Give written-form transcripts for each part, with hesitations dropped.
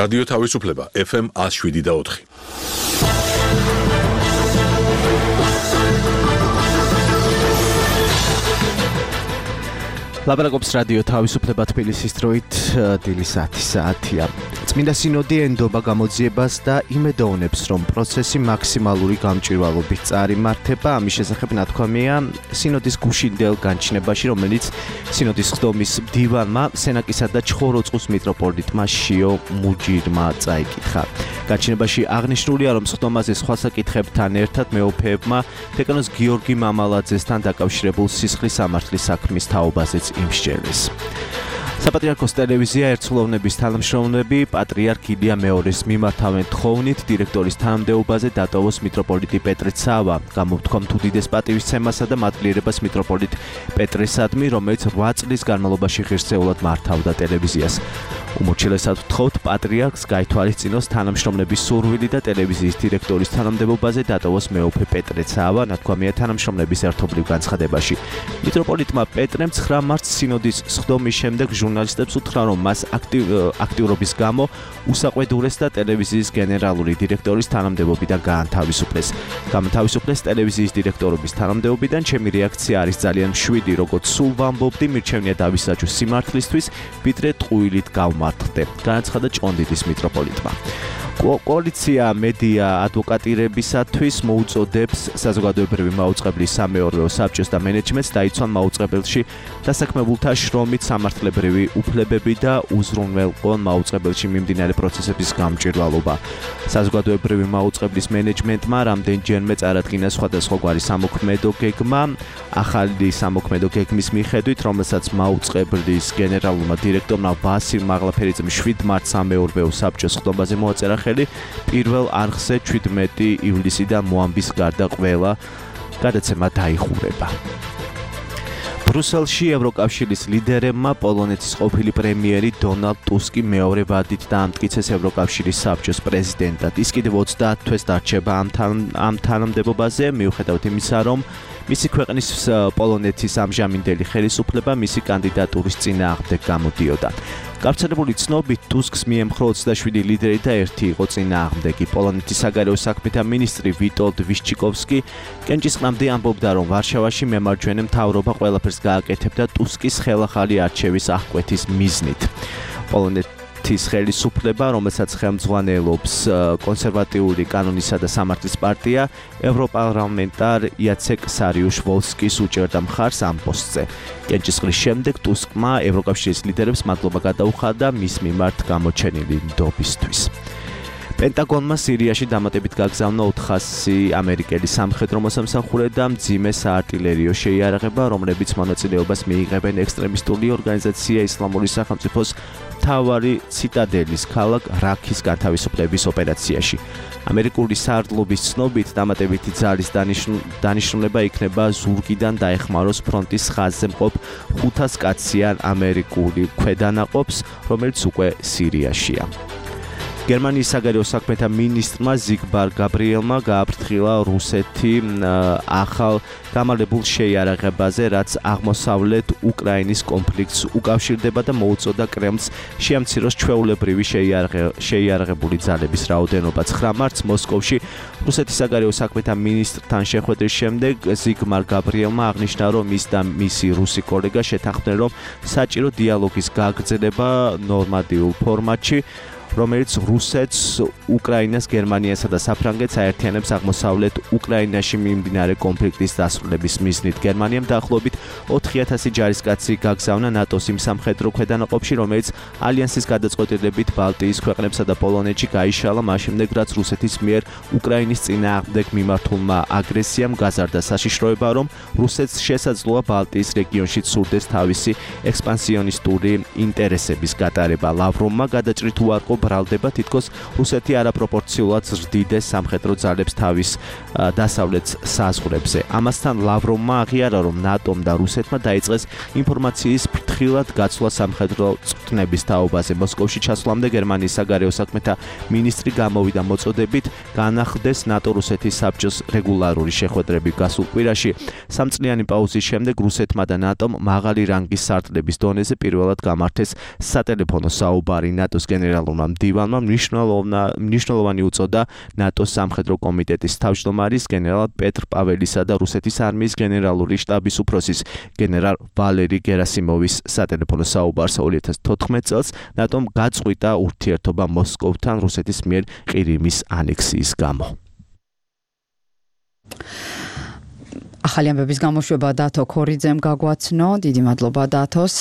რადიო თავისუფლება FM 107.4. ლაპარაკობს რადიო თავისუფლება თბილისის დროით დილის 10 საათია. წმინდა სინოდი ენდობა გამოძიებას და იმედოვნებს, რომ პროცესი მაქსიმალური გამჭვირვალობით წარიმართება. ამის შესახებ ნათქვამია სინოდის გუშინდელ განჩინებაში, რომელიც სინოდის ხდომის მდივანმა, სენაკისა და ჩხოროწყუს მიტროპოლიტმა შიო მუჯირმა წაიკითხა. განჩინებაში აღნიშნულია, რომ ხდომაზე სხვა საკითხებთან ერთად მეუფეებმა დეკანოს გიორგი მამალაძესთან დაკავშირებულ სისხლის სამართლის საქმის თაობაზეც იმსჯელეს. საპატრიარქოს ტელევიზია ერთსულოვნების თანამშრომლები პატრიარქ ილია მეორის მიმართავენ თხოვნით დირექტორის თანამდებობაზე დატოვოს მიტროპოლიტი პეტრე ცავა. გამოთქვამ უდიდეს პატივისცემასა და მადლიერებას მიტროპოლიტ პეტრესადმი, რომელიც 8 წლის განმავლობაში ღირსეულად მართავდა ტელევიზიას. უმორჩილესად ვთხოვთ პატრიარქს გაითვალისწინოს თანამშრომლების სურვილი და ტელევიზიის დირექტორის თანამდებობაზე დატოვოს მეუფე პეტრე ცავა, ნათქვამია თანამშრომლების ერთობლივ განცხადებაში. მიტროპოლიტმა პეტრემ 9 მარტს სინოდის სხდომის შემდეგ ჟურნალისტებს უთხრა, რომ მას აქტიურობის გამო უსაყვედურეს და ტელევიზიის გენერალური დირექტორის თანამდებობიდან გაანთავისუფლეს. გამთავისუფლეს ტელევიზიის დირექტორობის თანამდებობიდან. ჩემი რეაქცია არის ძალიან მშვიდი, როგორც სულ ვამბობდი, მირჩევნია დავისაჯო სიმართლისთვის, ვიდრე ტყუილით გავმართდე. განაცხადა ჭყონდიდის მიტროპოლიტმა. კოალიცია მედია ადვოკატირებისათვის მოუწოდებს საზოგადოებრივი მაუწყებლის სამეურვეო საბჭოს და მენეჯმენტს დაიცვან მაუწყებელში დასაქმებულთა შრომით სამართლებრივი უფლებები და უზრუნველყონ მაუწყებელში მიმდინარე პროცესების გამჭვირვალობა. საზოგადოებრივი მაუწყებლის მენეჯმენტმა რამდენჯერმე წარადგინა სხვადასხვაგვარი სამოქმედო გეგმა. ახალი სამოქმედო გეგმის მიხედვით, რომელსაც მაუწყებლის გენერალურმა დირექტორმა ვასილ მაღლაფერიძემ 7 მარტს სამეურვეო საბჭოს ხდომაზე მოაწერა ხელი, პირველ არხზე 17 ივლისიდან მოამბის გარდა ყველა გადაცემა დაიხურება. ბრუსელში ევროკავშირის ლიდერებმა პოლონეთის ყოფილი პრემიერი დონალდ ტუსკი მეორე ვადით დაამტკიცეს ევროკავშირის საბჭოს პრეზიდენტად. ის კიდევ 30 თვეს დარჩება ამ თანამდებობაზე, მიუხედავად იმისა, რომ მისი ქვეყნის პოლონეთის ამჟამინდელი ხელისუფლება მისი კანდიდატურის წინააღმდეგ გამოდიოდა. გავრცელებული ცნობით ტუსკს მიემხრო 27 ლიდერი და ერთი იყო წინააღმდეგი. პოლონეთის საგარეო საქმეთა მინისტრი ვიტოლდ ვიშჩიკოვსკი კენჭისყრამდე ამბობდა, რომ ვარშავაში მემარჯვენე მთავრობა ყველაფერს გააკეთებდა ტუსკის ხელახალი არჩევის აღკვეთის მიზნით. პოლონეთის ხელისუფლება, რომელსაც ხელმძღვანელობს კონსერვატიული კანონისა და სამართლის პარტია, ევროპარლამენტარ იაცეკ სარიუშ-ვოლსკის უჭერდა მხარს ამ პოსტზე. კენჭისყრის შემდეგ ტუსკმა ევროკავშირის ლიდერებს მადლობა გადაუხადა მის მიმართ გამოჩენილი ნდობისთვის. პენტაგონმა სირიაში დამატებით გაგზავნა 400 ამერიკელი სამხედრო მოსამსახურე და მძიმე საარტილერიო შეიარაღება, რომლებიც მონაწილეობას მიიღებენ ექსტრემისტული ორგანიზაცია ისლამური სახელმწიფოს მთავარი ციტადელის ქალაქ რაქის განთავისუფლების ოპერაციაში. ამერიკული საარდლობის ცნობით დამატებითი ძალის დანიშნულება იქნება ზურგიდან დაეხმაროს ფრონტის ხაზზე მყოფ 500 კაციან ამერიკული ქვედანაყოფს, რომელიც უკვე სირიაშია. გერმანიის საგარეო საქმეთა მინისტრმა ზიგმარ გაბრიელმა გააფრთხილა რუსეთი ახალ გამალებულ შეიარაღებაზე, რაც აღმოსავლეთ უკრაინის კონფლიქტს უკავშირდება და მოუწოდა კრემლს შეამციროს ჩვეულებრივი შეიარაღებული ძალების რაოდენობა. 9 მარტს მოსკოვში რუსეთის საგარეო საქმეთა მინისტრთან შეხვედრის შემდეგ ზიგმარ გაბრიელმა აღნიშნა, რომ ის და მისი რუსი კოლეგა შეთანხმდნენ, რომ საჭირო დიალოგის გაგრძელება ნორმატიულ ფორმატში, რომელიც რუსეთს, უკრაინას, გერმანიასა და საფრანგეთს აერთიანებს აღმოსავლეთ უკრაინაში მიმდინარე კონფლიქტის დასრულების მიზნით. გერმანიამ დაახლოებით 4000 ჯარისკაცი გაგზავნა ნატოს იმ სამხედრო ქვედანაყოფში, რომელიც ალიანსის გადაწყვეტილებით ბალტიის ქვეყნებსა და პოლონეთში გაიშალა მაშინდე, რაც რუსეთის მიერ უკრაინის წინააღმდეგ მიმართულმა აგრესიამ გაზარდა საშიშროება, რომ რუსეთს შესაძლოა ბალტიის რეგიონში სურდეს თავისი ექსპანსიონისტური ინტერესების გატარება. ლავროვმა გადაჭრით უარყო ბრალდება, თითქოს რუსეთი არაპროპორციულად ზრდიდეს სამხედრო ძალებს თავის დასავლეთ საზღვრებზე. ამასთან ლავროვმა აღიარა, რომ ნატომ და რუსეთმა დაიწყეს ინფორმაციის ფრთხილად გაცვლა სამხედრო წვრთნების თაობაზე. მოსკოვში ჩასვლამდე გერმანიის საგარეო საქმეთა მინისტრი გამოვიდა მოწოდებით განახდეს ნატო-რუსეთის საბჭოს რეგულარული შეხვედრები გასულ კვირაში. 3 წლიანი პაუზის შემდეგ რუსეთმა და ნატომ მაღალი რანგის სარტლების დონეზე პირველად გამართეს სატელეფონო საუბარი ნატოს გენერალურმა მდივანმა მნიშვნელოვანი უწოდა ნატოს სამხედრო კომიტეტის თავმჯდომარის გენერალ პეტრ პაველისა და რუსეთის არმიის გენერალური შტაბის უფროსის გენერალ ვალერი გერასიმოვის სატელეფონო საუბარს 2014 წელს ნატომ გაწყვიტა ურთიერთობა მოსკოვთან რუსეთის მიერ ყირიმის ანექსიის გამო. ახალი ამბების გამოშვება დათო ქორიძემ გაგვაცნო. დიდი მადლობა დათოს.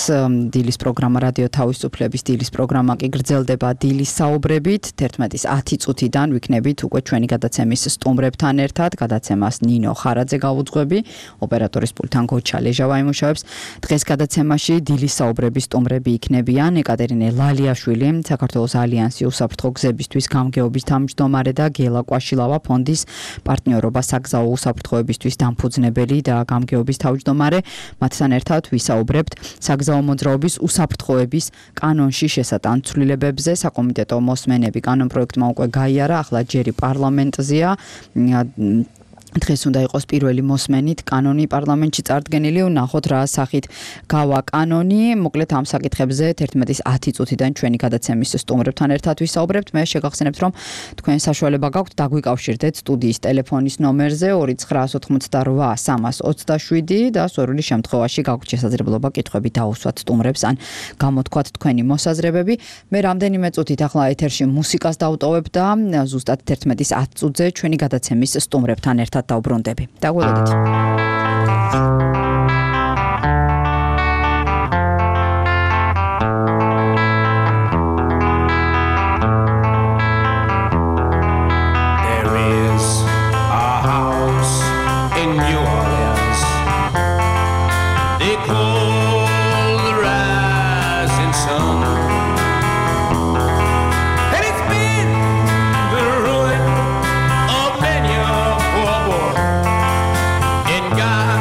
დილის პროგრამა რადიო თავისუფლების დილის პროგრამა კი გრძელდება დილის საუბრებით. 11:10 წუთიდან ვიქნებით უკვე ჩვენი გადაცემის სტუმრებთან ერთად. გადაცემას ნინო ხარაძე გაუძღვები, ოპერატორის პულტთან გოჩა ლეჟავა იმუშავებს. დღეს გადაცემაში დილის საუბრების სტუმრები იქნებიან ეკატერინე ლალიაშვილი, საქართველოს ალიანსი უსაფრთხო გზებისთვის გამგეობის თავმჯდომარე და გელა კვაშილავა ფონდის პარტნიორობა საგზაო უსაფრთხოებისთვის დამფუძნებელი და გამგეობის თავმჯდომარე. მათთან ერთად ვისაუბრებთ საგზაო მოძრაობის უსაფრთხოების კანონში შესატან ცვლილებებზე. საკომიტეტო მოსმენები კანონპროექტმა უკვე გაიარა, ახლა ჯერი პარლამენტზეა. დღეს უნდა იყოს პირველი მოსმენით კანონი პარლამენტში წარდგენილი. ვნახოთ რა სახით გავა კანონი. მოკლედ ამ საკითხებზე 11:10 წუთიდან ჩვენი გადაცემის სტუმრებთან ერთად ვისაუბრებთ. მე შეგახსენებთ, რომ თქვენ საშუალება გაქვთ დაგვიკავშირდეთ სტუდიის ტელეფონის ნომერზე 2988327 და სურვილი შემთხვევაში გაქვთ შესაძლებლობა კითხვები დაუსვათ სტუმრებს ან გამოთქვათ თქვენი მოსაზრებები. მე რამდენიმე წუთით ახლა ეთერში მუსიკას დავტოვებ და ზუსტად 11:10 წუთზე ჩვენი გადაცემის სტუმრებთან ერთად დაუბრუნდები. დაგველოდეთ. There is a house in New Orleans. They call the rising sun. And it's been the ruin of many a poor boy in God.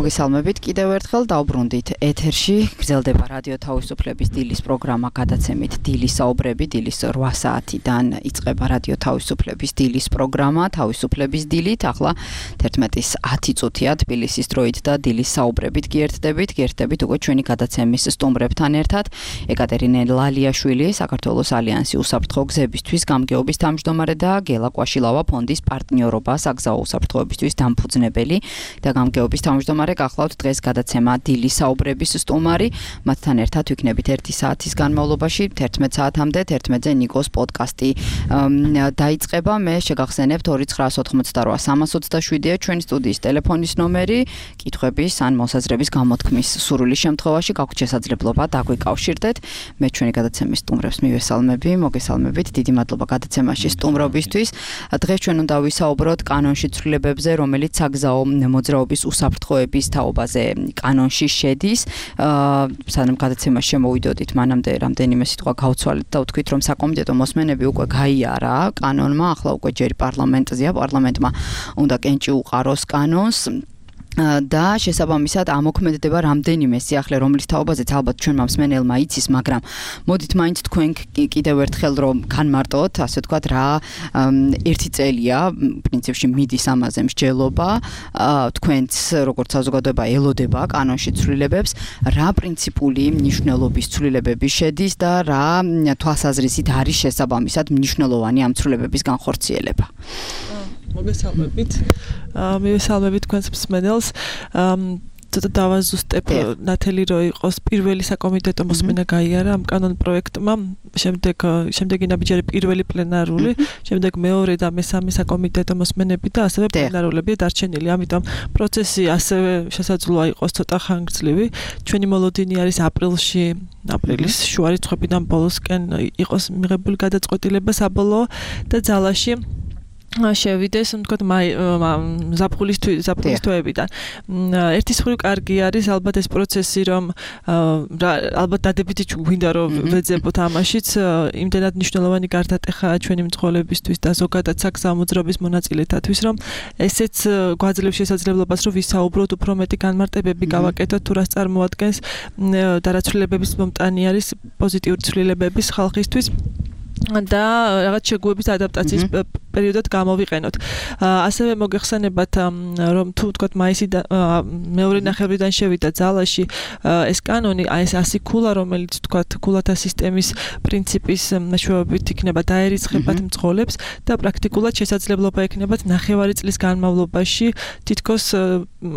მოგესალმებით კიდევ ერთხელ დავბრუნდით ეთერში გრძელდება რადიო თავისუფლების დილის პროგრამა გადაცემით დილის საუბრები დილის 8 საათიდან იწყება რადიო თავისუფლების დილის პროგრამა თავისუფლების დილით ახლა 11:10 წუთია თბილისის დროით და დილის საუბრებით გიერთდებით უკვე ჩვენი გადაცემის სტუმრებთან ერთად ეკატერინე ლალიაშვილი საქართველოს ალიანსი უსაფრთხო გზებისთვის გამგეობის თავმჯდომარე და გელა კვაშილავა ფონდის პარტნიორობა საგზაო უსაფრთხოებისთვის დამფუძნებელი და გამგეობის თავმჯდომარე გახლავთ დღეს გადაცემა დილის საუბრების სტუმარი მათთან ერთად ვიქნებით 1 საათის განმავლობაში 11 საათამდე 11-ზე ნიკოს პოდკასტი დაიწყება მე შეგახსენებთ 2988327-ია ჩვენი სტუდიის ტელეფონის ნომერი კითხვების ან მოსაზრების გამოთქმის სურვილის შემთხვევაში გაქვთ შესაძლებლობა დაგვიკავშირდეთ მე ჩვენი გადაცემის სტუმრებს მივესალმები მოგესალმებით დიდი მადლობა გადაცემაში სტუმრობისთვის დღეს ჩვენ უნდა ვისაუბროთ კანონში ცვლილებებზე რომელიც საგზაო მოძრაობის უსაფრთხოების თაობაზე კანონში შედის. სანამ გადაცემაში შემოვიდოდით, მანამდე რამდენიმე სიტყვა გავცვალეთ და ვთქვით, რომ საკომიტეტო მოსმენები უკვე გაიარა კანონმა, ახლა უკვე ჯერ პარლამენტზეა, პარლამენტმა უნდა კენჭი უყაროს კანონს. და შესაბამისად ამოქმედდება რამდენიმე სიახლე რომლის თაობაზეც ალბათ ჩვენმა მსმენელმა იცის, მაგრამ მოდით მაინც თქვენ კიდევ ერთხელ რომ განმარტოთ, ასე ვთქვათ, რა ერთი წელია პრინციპში მიდის ამაზე მსჯელობა, თქვენც როგორც საზოგადოება ელოდება კანონში ცვლილებებს, რა პრინციპული მნიშვნელობის ცვლილებები შედის და რა თვალსაზრისით არის შესაბამისად მნიშვნელოვანი ამ ცვლილებების განხორციელება. მოგესალმებით. მივესალმებით თქვენს მსმენელს. დავაზუსტებ ნათელი რო იყოს პირველი საკომიტეტო მოსმენა გაიარა ამ კანონ პროექტმა, შემდეგი ნაბიჯარი პირველი პლენარული, შემდეგ მეორე და მესამე საკომიტეტო მოსმენები და ასევე პლენარულები დარჩენილი. ამიტომ პროცესი ასევე შესაძლოა იყოს ცოტა ხანგრძლივი. ჩვენი მოლოდინი არის აპრილის შუა რიცხვებიდან ბოლოსკენ იყოს მიღებული გადაწყვეტილება საბოლოო და ძალაში შევიდეს, თქვათ, ზაფხულის თვეებიდან. ერთი მხრივ კარგი არის ალბათ ეს პროცესი, რომ ალბათ დადებითი გვინდა რომ ვეძებოთ ამაშიც, იმდენად მნიშვნელოვანი გარდატეხაა ჩვენი მძღოლებისთვის და ზოგადად საგზაო მოძრაობის მონაწილეთათვის, რომ ესეც გვაძლევს შესაძლებლობას, რომ ვისაუბროთ უფრო მეტი განმარტებები გავაკეთოთ, თუ რას წარმოადგენს და რა ცვლილებების მომტანი არის პოზიტიური ცვლილებების ხალხისთვის. და რაღაც შეგუების ადაპტაციის პერიოდად გამოვიყენოთ. ასევე მოგეხსენებათ, რომ თუ ვთქვათ მაისიდან მეორე ნახევრიდან შევიდა ძალაში ეს კანონი, ეს 100 ქულა, რომელიც ვთქვათ ქულათა სისტემის პრინციპის მეშვეობით იქნება დაერიცხებათ მძღოლებს და პრაქტიკულად შესაძლებლობა ექნებათ ნახევარი წლის განმავლობაში თითქოს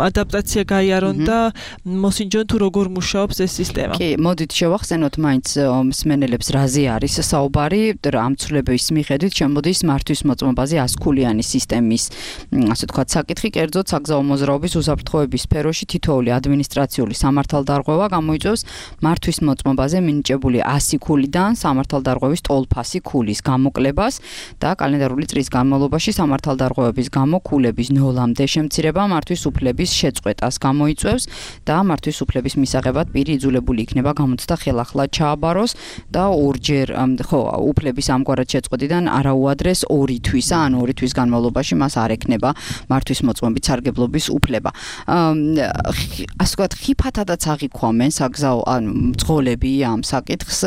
ადაპტაცია გაიარონ და მოსინჯონ თუ როგორ მუშაობს ეს სისტემა. კი, მოდით შევახსენოთ მაინც მსმენელებს რაზე არის საუბარი. ამ ცვლილების მიხედვით შემოდის მართვის მოწმობაზე 100 ქულიანი სისტემის, ასე ვთქვათ, საკითხი, კერძოდ საგზაო მოძრაობის უსაფრთხოების სფეროში თითოეული ადმინისტრაციული სამართალდარღვევა გამოიწვევს მართვის მოწმობაზე მინიჭებული 100 ქულიდან სამართალდარღვევის ტოლფასი ქულის გამოკლებას და კალენდარული წლის განმავლობაში სამართალდარღვევების გამო ქულების ნოლამდე შემცირება მართვის უფლების შეწყვეტას გამოიწვევს და მართვის უფლების მისაღებად პირი იძულებული იქნება გამოცდა ხელახლა ჩააბაროს და ორჯერ უფლების ამგვარად შეწყვეტიდან არაუადრეს 2 თვისა, ან 2 თვის განმავლობაში მას არ ექნება მართვის მოწმობის სარგებლობის უფლება. ასე ვთქვათ, ხიფათადაც აღიქვამენ საგზაო მძღოლები ამ საკითხს,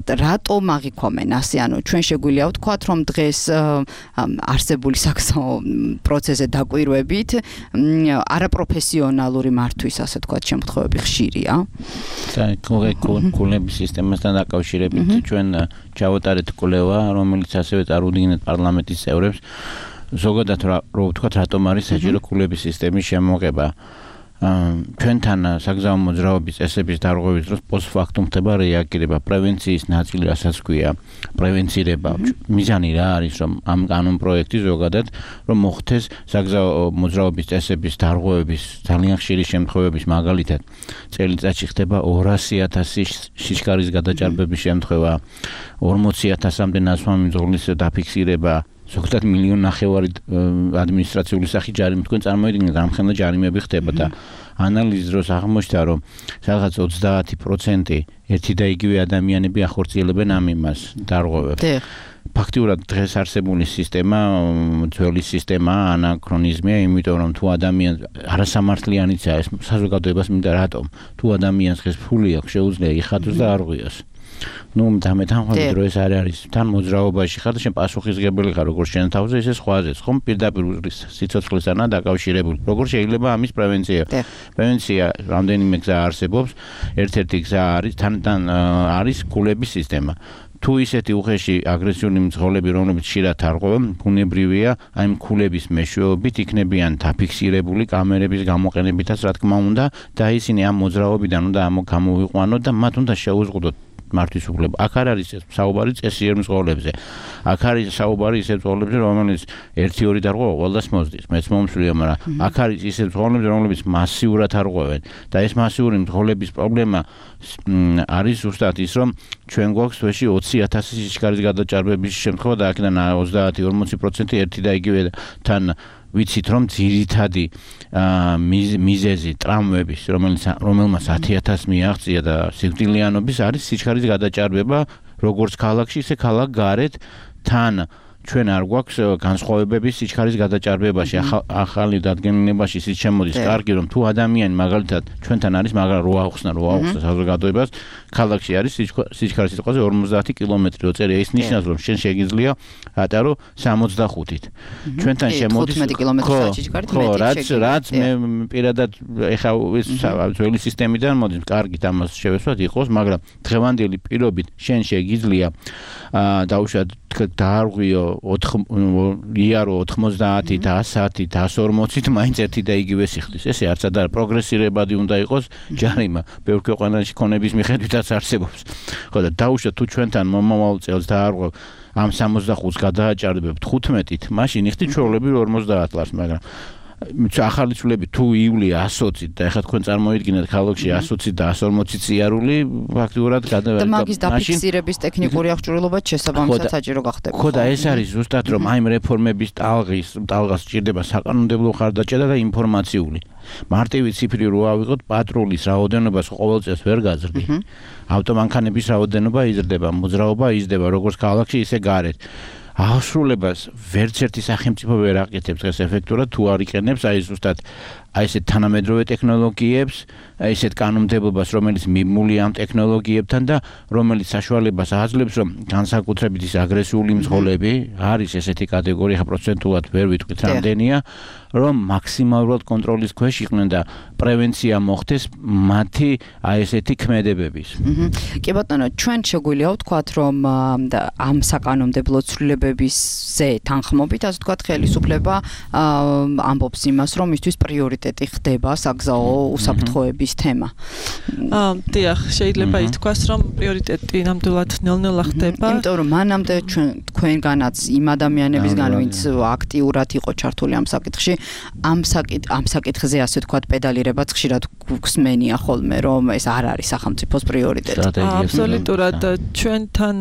რატომ აღიქვამენ ასე, ჩვენ შეგვიძლია ვთქვათ, რომ დღეს არსებული საგზაო პროცესზე დაკვირვებით არაპროფესიონალური მართვის, ასე ვთქვათ, შემთხვევები ხშირია. ქულების სისტემასთან დაკავშირებით ჩვენ ჩავატარეთ კვლევა, რომელიც ასევე წარუდგინეთ პარლამენტის წევრებს. ზოგადად რო ვთქვათ, რატომ არის საჭირო ქულების სისტემის შემოღება. ჩვენთან საგზაო მოძრაობის წესების დარღვევის დროს პოსტფაქტუმ ხდება რეაგირება, პრევენციის ნაწილი, რასაც ქვია, პრევენცირება. მიზანი რა არის, რომ ამ კანონ პროექტი ზოგადად რომ მოხდეს საგზაო მოძრაობის წესების დარღვევების ძალიან ხშირი შემთხვევების მაგალითად წელიწადში ხდება 200,000 სიჩქარის გადაჭარბების შემთხვევა, 40,000-მდე ნაცვლად მძღოლის დაფიქსირება, ზოგადად 1.5 მილიონი ადმინისტრაციული სახით ჯარიმი თქვენ წარმოიდგინეთ, რამხელა ჯარიმები ხდება და ანალიზის დროს აღმოჩნდა, რომ სადღაც 30% ერთი და იგივე ადამიანები ახორციელებენ ამ იმას დარღვევებს. ფაქტიურად დღეს არსებული სისტემა ძველი სისტემაა, ანაქრონიზმია, იმიტომ რომ თუ ადამიანი არასამართლიანიცაა ეს საზოგადოებას მინდა რატომ? თუ ადამიანს დღეს ფული აქვს, შეუძლია იხატოს და არ ღვიოს. ნუ დამეთანხმებით რომ ეს არ არის თან მოძრაობაში ხარ და შენ პასუხისმგებელი ხარ როგორც შენ თავზე ისე სხვაზეც ხომ პირდაპირ სიცოცხლესთან დაკავშირებული როგორ შეიძლება ამის პრევენცია რამდენიმე გზა არსებობს ერთ-ერთი გზა არის თან არის ქულების სისტემა თუ ისეთი უხეში აგრესიული მძღოლები რომლებიც ხშირად არღვევენ ბუნებრივია აი ქულების მეშვეობით იქნებიან დაფიქსირებული კამერების გამოყენებითაც რა თქმა უნდა და ისინი ამ მოძრაობიდან უნდა გამოვიყვანოთ და მათ უნდა შეუზღუდოთ მართვის უფლება. აქ არ არის საუბარი წესიერ მძღოლებზე. აქ არის საუბარი ისეთ მძღოლებზე, რომელიც 1-2 დარღვევა ყველას მოსდის. მეც მომსვლია, მაგრამ აქ არის ისეთ მძღოლებზე, რომლებიც მასიურად არღვევენ და ეს მასიური მძღოლების პრობლემა არის ზუსტად ის, რომ ჩვენ გვაქვს თვეში 20,000 სიჩქარის გადაჭარბების შემთხვევა და აქედან 30-40% ერთი და იგივე თან ვიცით რომ ძირითადი მიზეზი ტრამვების რომელმაც 10,000 მიაღწია და სიკვდილიანობის არის სიჩქარის გადაჭარბება როგორც ქალაქში ისე ქალაქ გარეთ თან ჩვენ არ გვაქვს განსხვავებების სიჩქარის გადაჭარბებაში ახალი დადგენილებაში ის შემოდის კარგი რომ თუ ადამიანი მაგალითად ჩვენთან არის მაგრამ რო ახსნა საზოგადოებას ქალაქში არის სიჩქარის სიტყვაზე 50 კილომეტრი რო წერია ის ნიშნავს რომ შენ შეგიძლია ატარო 65-ით ჩვენთან შემოდის 15 კილომეტრის სიჩქარით რაც მე პირადად ეხა ეს ძველი სისტემიდან მოდის კარგით ამას შევესვათ იყოს მაგრამ დღევანდელი პირობით შენ შეგიძლია დაუშვათ დაარღვიო იარო 90 და 100 და 140-ით მაინც ერთი და იგივე სიხდის. ესე არც არა პროგრესირებადი უნდა იყოს ჯარიმა. ბევრ ქვეყანაში ქონების მიხედვითაც არსებობს. ხო და დაუშვათ თუ ჩვენთან მომავალ წელს დაარღვევ ამ 65-ს გადააჭარბებთ 15-ით, მაშინ იხდი ჩვეულებრივ 50 ლარს, მაგრამ ახალი ცვლილები თუ ივლია 120-ით და ეხლა თქვენ წარმოიდგინეთ ქალაქში 120 და 140 სიარული ფაქტიურად და მაგის დაფიქსირების ტექნიკური აღჭურვილობა შესაბამისად საჭირო გახდება. ხო და ეს არის ზუსტად რომ აი რეფორმების ტალღას სჭირდება საკანონმდებლო ხარდაჭერა და ინფორმაციული. მარტივი ციფრი რო ავიღოთ პატრულის რაოდენობას ყოველ წელს ვერ გაზრდი. ავტომანქანების რაოდენობა იზრდება, მოძრაობა იზრდება როგორც ქალაქში ისე გარეთ. აღსრულებას ვერც ერთი სახელმწიფო ვერ აკეთებს დღეს ეფექტურად თუ არ იყენებს აი ზუსტად აი ესეთ თანამედროვე ტექნოლოგიებს, აი ესეთ კანონმდებლობას, რომელიც მიმულია ამ ტექნოლოგიებთან და რომელიც საშუალებას აძლევს, რომ განსაკუთრებით ის აგრესიული მძღოლები არის ესეთი კატეგორია, ხა პროცენტულად ვერ ვიტყვით რამდენია, რომ მაქსიმალურად კონტროლის ქვეშ იყვნენ და პრევენცია მოხდეს მათი აი ესეთი ქმედებების. კი ბატონო, ჩვენ შეგვიძლია ვთქვათ, რომ ამ საკანონმდებლო ცვლილებებზე თანხმობით, ასე ვთქვათ, ხელისუფლება ამბობს იმას, რომ მისთვის პრიორიტეტი ხდება საგზაო უსაფრთხოების თემა. დიახ, შეიძლება ითქვას, რომ პრიორიტეტი ნამდვილად ნელ-ნელა ხდება. იმიტომ რომ მანამდე თქვენგანაც იმ ადამიანებისგან, ვინც აქტიურად იყო ჩართული ამ საკითხში, ამ საკითხზე ასე ვთქვათ, პედალირებაც ხშირად გვხსმენია ხოლმე, რომ ეს არ არის სახელმწიფოს პრიორიტეტი. აბსოლუტურად ჩვენთან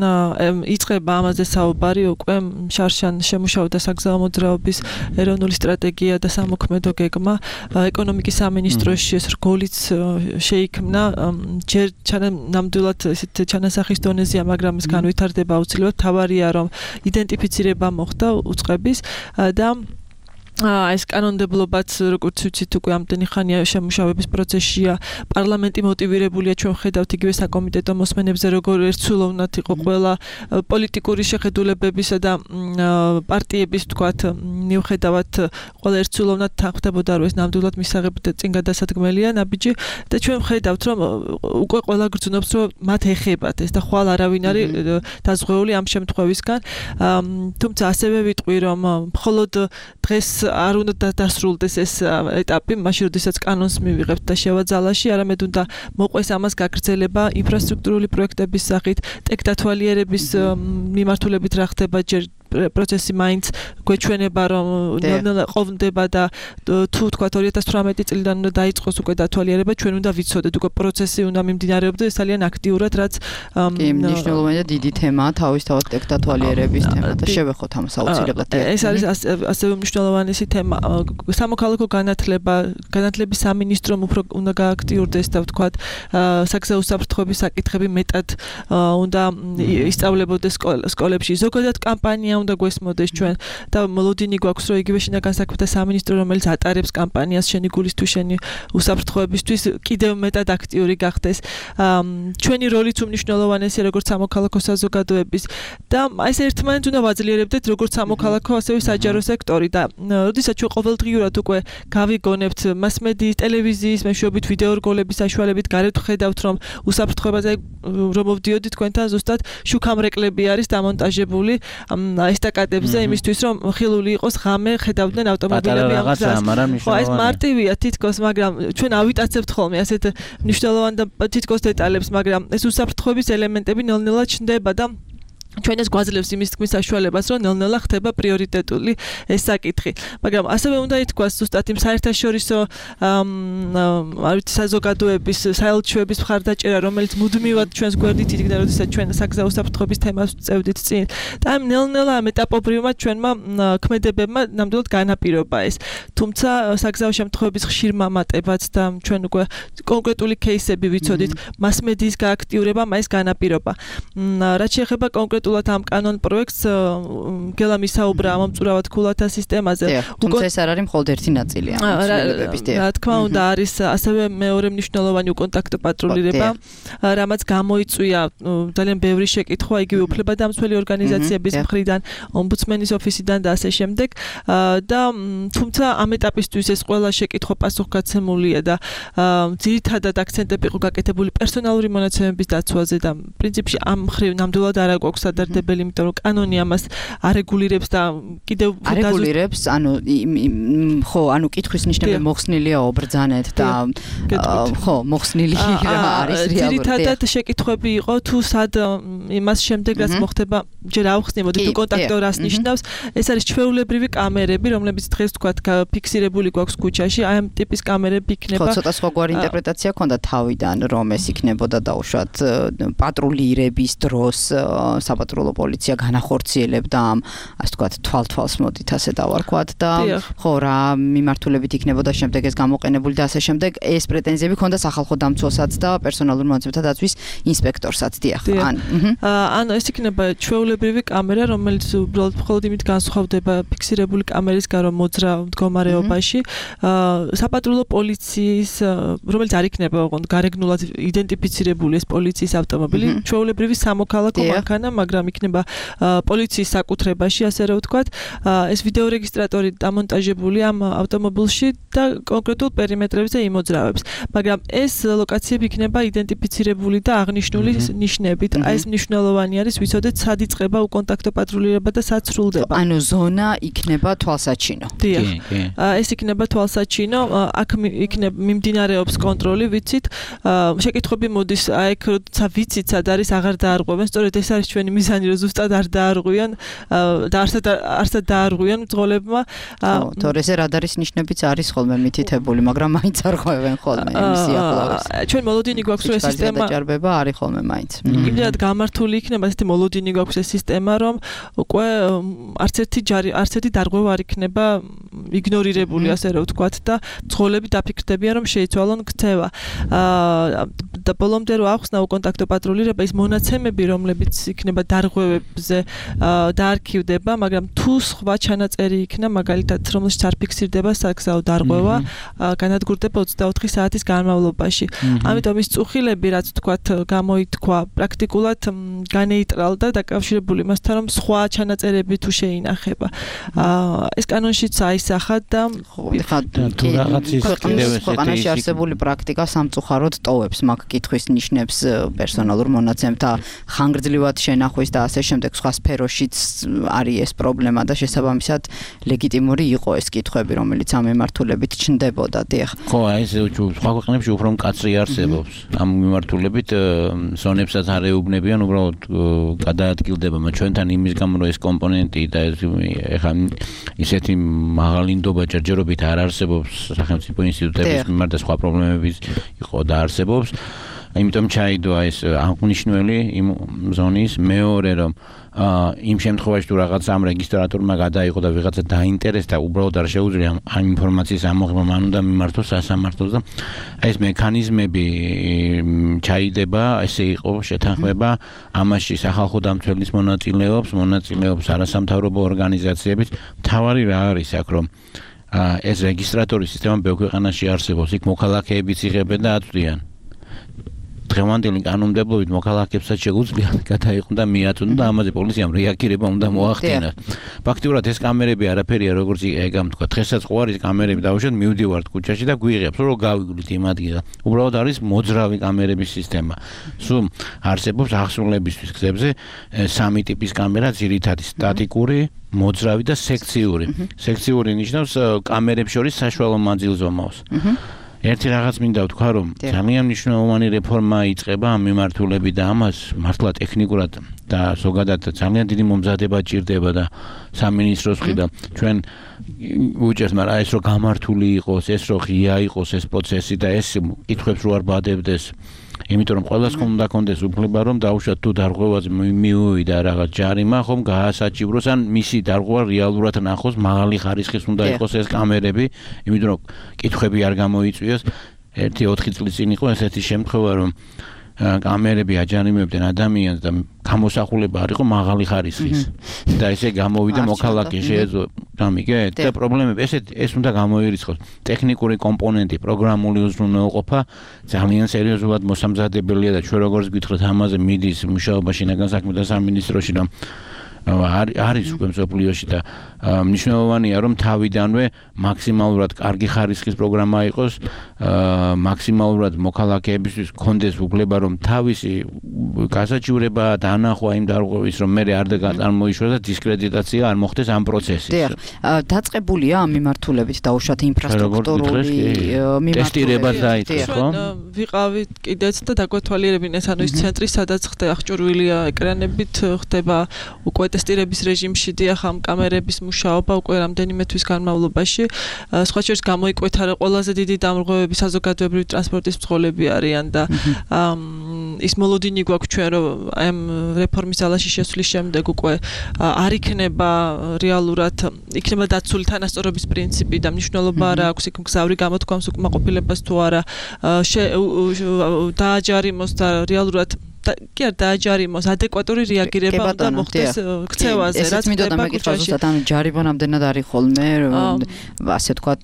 იწყება ამაზე საუბარი უკვე შარშან შემუშავდა საგზაო მოძრაობის ეროვნული სტრატეგია და სამოქმედო გეგმა. ეკონომიკის სამინისტროში ეს რგოლიც შეიქმნა ჯერ ნამდვილად ესეთ ჩანასახის დონეზეა, მაგრამ ეს განვითარდება აუცილებლად. თავარია რომ იდენტიფიცირება მოხდა უწყების და ეს კანონმდებლობაც როგორც ვიცით უკვე ამდენი ხანია შემუშავების პროცესშია პარლამენტი მოტივირებულია ჩვენ ხედავთ იგივე საკომიტეტო მოსმენებზე როგორ ერთსულოვნად იყო ყველა პოლიტიკური შეხედულებებისა და პარტიების თქვათ მიუხედავად ყველა ერთსულოვნად თანხმდებოდა რომ ეს ნამდვილად მისაღები და წინ გადასადგმელია ნაბიჯი და ჩვენ ხედავთ რომ უკვე ყველა გრძნობს რომ მათ ეხებათ ეს და ხვალ არავინ არის დაზღვეული ამ შემთხვევისგან თუმცა ასევე ვიტყვი რომ მხოლოდ დღეს არ უნდა დასრულდეს ეს ეტაპი, მაშინ როდესაც კანონს მივიღებთ და შევაძალაში, არამედ უნდა მოყვეს ამას გაგრძელება ინფრასტრუქტურული პროექტების სახით, ტექ დათვალიერების მიმართულებით რა ხდება ჯერ პროცესი მაინც გვეჩვენება რომ ნელ-ნელა ყოფდება და თუ თქვა 2018 წლიდან უნდა დაიწყოს უკვე დათვალიერება, ჩვენ უნდა ვიცოდეთ უკვე პროცესი უნდა მიმდინარეობდეს ძალიან აქტიურად, რაც კი, მნიშვნელოვანი და დიდი თემაა თავისთავად დათვალიერების თემა და შევეხოთ ამას აუცილებლად. ეს არის ასევე მნიშვნელოვანი თემა. სამოქალაქო განათლების სამინისტრომ უფრო უნდა გააქტიურდეს და ვთქვათ, საგზაო უსაფრთხოების საკითხები მეტად უნდა ისწავლებოდეს სკოლებში. ზოგადად კამპანია უნდა გვესმოდეს ჩვენ და მოლოდინი გვაქვს, რომ იგივე შინაგან საქმეთა სამინისტრო, რომელიც ატარებს კამპანიას შენი გულისთვის, შენი უსაფრთხოებისთვის, კიდევ მეტად აქტიური გახდეს. ჩვენი როლიც უმნიშვნელოვანესია როგორც სამოქალაქო საზოგადოების და ეს ერთმანეთს უნდა ვაძლიერებდეთ როგორც სამოქალაქო, ასევე საჯარო სექტორი და როდესაც ჩვენ ყოველდღიურად უკვე გავიგონებთ მასმედიის, ტელევიზიის მეშვეობით, ვიდეორგოლების საშუალებით გარეთ ვხედავთ, რომ უსაფრთხოებაზე რომ მოვდიოდით თქვენთან ზუსტად შუქამრეკლები არის დამონტაჟებული ესტაკადებზე იმისთვის, რომ ხილული იყოს ღამე, ხედავდნენ ავტომობილები ამ გზას. ხო, ეს მარტივია თითქოს, მაგრამ ჩვენ ავიტაცებთ ხოლმე ასეთ მნიშვნელოვან და თითქოს დეტალებს, მაგრამ ეს უსაფრთხოების ელემენტები ნელ-ნელა ჩნდება და ჩვენ ეს გვაძლევს იმის თქმის საშუალებას, რომ ნელ-ნელა ხდება პრიორიტეტული ეს საკითხი. მაგრამ ასევე უნდა ითქვას ზუსტად იმ საერთაშორისო საზოგადოების, საელჩოების მხარდაჭერა, რომელიც მუდმივად ჩვენს გვერდით იდგა, როდესაც ჩვენ საგზაო უსაფრთხოების თემას წევდით წინ. და ამ ნელ-ნელა ეტაპობრივად ჩვენმა ქმედებებმა ნამდვილად განაპირობა ეს. თუმცა საგზაო შემთხვევების ხშირ მამატებაც და ჩვენ უკვე კონკრეტული кейსები ვიცოდით, მასმედიის გააქტიურებამ ეს განაპირობა. რაც შეეხება კონკრეტულად ამ კანონ პროექტს, გელა მისაუბრა მომწურავად ქულათა სისტემაზე. თუმცა ეს არ არის მხოლოდ ერთი ნაწილი ამ ცვლილებების. რა თქმა უნდა, არის ასევე მეორე მნიშვნელოვანი უკონტაქტო პატრულირება, რამაც გამოიწვია ძალიან ბევრი შეკითხვა იგივე უფლებადამცველი ორგანიზაციების მხრიდან, ომბუდსმენის ოფისიდან და ასე შემდეგ. და თუმცა ამ ეტაპისთვის ეს ყველა შეკითხვა პასუხგაცემულია და ძირითადად აქცენტები იყო გაკეთებული პერსონალური მონაცემების დაცვაზე და პრინციპში ამ მხრივ ნამდვილად არ აქვს ადარდებელი, იმიტომ რომ კანონი ამას არეგულირებს და კიდევ არეგულირებს, ხო, კითხვის ნიშნები მოხსნილია ობრძანეთ და ხო, მოხსნილი რა არის რეალურად. ძირითადად შეკითხვები იყო თუ სად იმას შემდეგ რაც მოხდება, ჯერ ავხსნებოდი თუ კონტაქტო რას ნიშნავს, ეს არის ჩვეულებრივი კამერები, რომლებიც დღეს თქვათ ფიქსირებული გვაქვს ქუჩაში, აი ამ ტიპის კამერები იქნება. ხო, ცოტა სხვაგვარი ინტერპრეტაცია ქონდა თავიდან, რომ ეს იქნებოდა დაუშვათ პატრულირების დროს საპატრულო პოლიცია განახორციელებდა ამ, ასე ვთქვათ, თვალთვალს მოდით ასე დავარქვათ და ხო რა მიმართულებით იქნებოდა შემდეგ ეს გამოყენებული და ასე შემდეგ. ეს პრეტენზიები ქონდა სახალხო დამცველსაც და პერსონალურ მონაცემთა დაცვის ინსპექტორსაც, დიახ. ანუ ეს იქნება ჩვეულებრივი კამერა, რომელიც უბრალოდ მხოლოდ იმით განსხვავდება ფიქსირებული კამერისგან, რომ მოძრავ მდგომარეობაში. საპატრულო პოლიციის, რომელიც არ იქნება ოღონდ გარეგნულად იდენტიფიცირებული ეს პოლიციის ავტომობილი, ჩვეულებრივი სამოქალაქო მანქანა, მაგრამ იქნება პოლიციის საკუთრებაში, ასე რომ ვთქვათ, ეს ვიდეო რეგისტრატორი დამონტაჟებული ამ ავტომობილში და კონკრეტულ პერიმეტრებზე იმოძრავებს. მაგრამ ეს ლოკაციები იქნება იდენტიფიცირებული და აღნიშნული ნიშნებით. აი ეს მნიშვნელოვანი არის, ვიცოდეთ, სად იწყება უკონტაქტო პატრულირება და სად სრულდება. ანუ ზონა იქნება თვალსაჩინო. დიახ. ეს იქნება თვალსაჩინო, აქ იქნება მიმდინარეობს კონტროლი, ვიცით. შეკითხვები მოდის, აი ეგ როცა ვიცით, სად არის, აღარ დაარღვევენ. სწორედ ეს არის ჩვენი მიზანი, რომ ზუსტად არ დაარღვიან და არსად დაარღვიან მძღოლებმა. თორე ეს რადარის ნიშნებიც არის ხოლმე მითითებული, მაგრამ მაინც არღვევენ ხოლმე იმის სიახლოვეს. ჩვენ მოლოდინი გვაქვს ეს სისტემა. დაჭარბება არის ხოლმე მაინც. იმდენად გამართული იქნება ესეთი მოლოდინი გვაქვს ეს სისტემა, რომ უკვე არც ერთი დარღვევა არ იქნება იგნორირებული, ასე რომ ვთქვათ და მძღოლები დაფიქრდებიან, რომ შეიცვალონ ქცევა. და ბოლომდე რო ახსნა უკონტაქტო პატრულირება, ის მონაცემები, რომლებიც იქნება დარღვევებზე დაარქივდება, მაგრამ თუ სხვა ჩანაწერი იქნა, მაგალითად, რომელშიც არ ფიქსირდება საგზაო დარღვევა, განადგურდება 24 საათის განმავლობაში. ამიტომ ის წუხილები, რაც თქვათ, გამოითქვა, პრაქტიკულად განეიტრალდა დაკავშირებული მასთან, რომ სხვა ჩანაწერები თუ შეინახება. ეს კანონშიც აისახა და თუ რაღაც ის კიდევ ქვეყანაში არსებული პრაქტიკა სამწუხაროდ ტოვებს, მაგ კი კითხვის ნიშნებს პერსონალურ მონაცემთა ხანგრძლივად შენახვის და ასე შემდეგ სხვა სფეროშიც არის ეს პრობლემა და შესაბამისად ლეგიტიმური იყო ეს კითხვები, რომელიც ამ მიმართულებით ჩნდებოდა. დიახ. ხო, ეს სხვა ქვეყნებში უფრო მკაცრი არსებობს. ამ მიმართულებით ზონებსაც არ ეუბნებიან, უბრალოდ გადაადგილდება, მაგრამ ჩვენთან იმის გამო რომ ეს კომპონენტი და ეხლა ისეთი მაღალი ნდობა ჯერჯერობით არ არსებობს სახელმწიფო ინსტიტუტების მიმართ და სხვა პრობლემები იყო და არსებობს. იმიტომ ჩაიდოა ეს აღნიშნული იმ ზონის მეორე რომ იმ შემთხვევაში თუ რაღაც ამ რეგისტრატორმა გადაიღო და ვიღაცა დაინტერესდა უბრალოდ არ შეუძლია ამ ინფორმაციის ამოღება მან უნდა მიმართოს სასამართლოს და ეს მექანიზმები ჩაიდება ესე იყო შეთანხმება ამაში სახალხო დამცველის მონაწილეობს არასამთავრობო ორგანიზაციების თავარი რა არის აქ რომ ეს რეგისტრატორის სისტემა ბევრ ქვეყანაში არსებობს იქ მოქალაქეებიც იღებენ და აწვდიან დღევანდელი კანონმდებლობით მოქალაქეებსაც შეუძლიათ გადაიყო და მიაწვდონ და ამაზე პოლიციამ რეაგირება უნდა მოახდინოს. ფაქტიურად ეს კამერები არაფერია როგორც ეგამ თქვა. დღესაც ხო არის კამერები დავუშვათ მივდივართ ქუჩაში და გვიღებს რომ გავიგულით იმ ადგილას. უბრალოდ არის მოძრავი კამერების სისტემა. სულ არსებობს ახსნულებისთვის გზებზე სამი ტიპის კამერა ძირითადი სტატიკური მოძრავი და სექციური. სექციური ნიშნავს კამერებს შორის საშუალო მანძილს ომავს. ერთი რაღაც მინდა ვთქვა რომ ძალიან მნიშვნელოვანი რეფორმა იწყება ამ მიმართულებით და ამას მართლა ტექნიკურად და ზოგადად ძალიან დიდი მომზადება ჭირდება და სამინისტროს მხრიდან ჩვენ უჭერს მაგრამ ეს რომ გამართული იყოს ეს რომ ღია იყოს ეს პროცესი და ეს კითხვებს რო არ ბადებდეს იმიტომ რომ ყველას უნდა კონდეს უფლება რომ დაუშვათ თუ დარღვევაზე მიუვიდა რაღაც ჯარიმა ხომ გაასაჭივროს ან მისი დარღვევა რეალურად ნახოს მაღალი ხარისხის უნდა იყოს ეს კამერები იმიტომ რომ კითხვები არ გამოიწვიოს 1-4 წლის წინ იყო ესეთი შემთხვევა რომ კამერები აჯანიმებდნენ ადამიანს და გამოსახულება არ იყო მაღალი ხარისხის და ესე გამოვიდა მოქალაქე შეეძლო გამიგეთ და პრობლემები ეს უნდა გამოირიცხოს ტექნიკური კომპონენტი პროგრამული უზრუნველყოფა ძალიან სერიოზულად მოსამზადებელია და ჩვენ როგორც გითხრათ ამაზე მიდის მუშაობა შინაგან საქმეთა სამინისტროში რომ არის უკვე მსოფლიოში და მნიშვნელოვანია რომ თავიდანვე მაქსიმალურად კარგი ხარისხის პროგრამა იყოს მაქსიმალურად მოქალაქეებისთვის კონდეს უფლება რომ თავისი გასაჭირება და ანახვა იმ დარღვევის რომ მე არ წარმოიშვა და დისკრედიტაცია არ მოხდეს ამ პროცესის. დიახ, დაწყებულია ამ მიმართულებით დაუშვათ ინფრასტრუქტურული ტესტირება დაიწყეს ხო? ვიყავით კიდეც და დაგვეთვალიერებინეს ანუ ის ცენტრი სადაც ხდება აღჭურვილია ეკრანებით ხდება უკვე ტესტირების რეჟიმში დიახ ამ კამერების მუშაობა უკვე რამდენიმე თვის განმავლობაში სხვა შორის გამოიკვეთა რომ ყველაზე დიდი დამრღვევები საზოგადოებრივი ტრანსპორტის მძღოლები არიან და ის მოლოდინი გვაქვს ჩვენ რომ ამ რეფორმის ძალაში შესვლის შემდეგ უკვე არ იქნება რეალურად იქნება დაცული თანასწორობის პრინციპი და მნიშვნელობა არ აქვს იქ მგზავრი გამოთქვამს უკმაყოფილებას თუ არა დააჯარიმოს და რეალურად კი არ დააჯარიმოს ადეკვატური რეაგირება უნდა მოხდეს ქცევაზე რაც ხდება ქუჩაში. ანუ ჯარიმონამდენად არის ხოლმე ასე ვთქვათ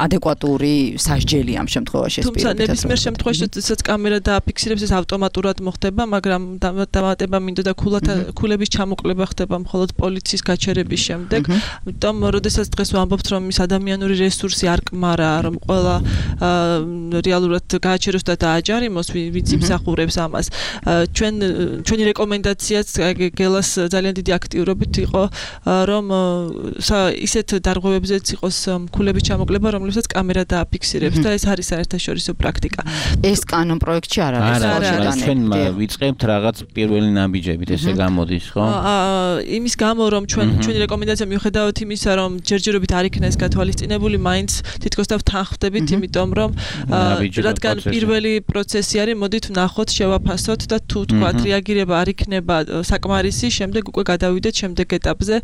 ადეკვატური სასჯელი ამ შემთხვევაში ეს თუმცა ნებისმიერ შემთხვევაში როდესაც კამერა დააფიქსირებს ეს ავტომატურად მოხდება მაგრამ დამატება მინდა და ქულების ჩამოკლება ხდება მხოლოდ პოლიციის გაჩერების შემდეგ. ამიტომ როდესაც დღეს ვამბობთ რომ ის ადამიანური რესურსი არ კმარა რომ ყველა რეალურად გააჩეროს და დააჯარიმოს ვინც იმსახურებს ამას ჩვენი რეკომენდაციაც გელას ძალიან დიდი აქტიურობით იყო რომ ისეთ დარღვევებზეც იყოს ქულების ჩამოკლება რომლებსაც კამერა დააფიქსირებს და ეს არის საერთაშორისო პრაქტიკა. ეს კანონ პროექტში არ არის. ჩვენ ვიწყებთ რაღაც პირველი ნაბიჯებით ესე გამოდის ხო? იმის გამო რომ ჩვენი რეკომენდაცია მიუხედავად იმისა რომ ჯერჯერობით არ იქნა ეს გათვალისწინებული მაინც თითქოს და ვთანხმდებით იმიტომ რომ რადგან პირველი პროცესი არის მოდით ვნახოთ შევაფასოთ და თუ თქვათ რეაგირება არ იქნება საკმარისი შემდეგ უკვე გადავიდეთ შემდეგ ეტაპზე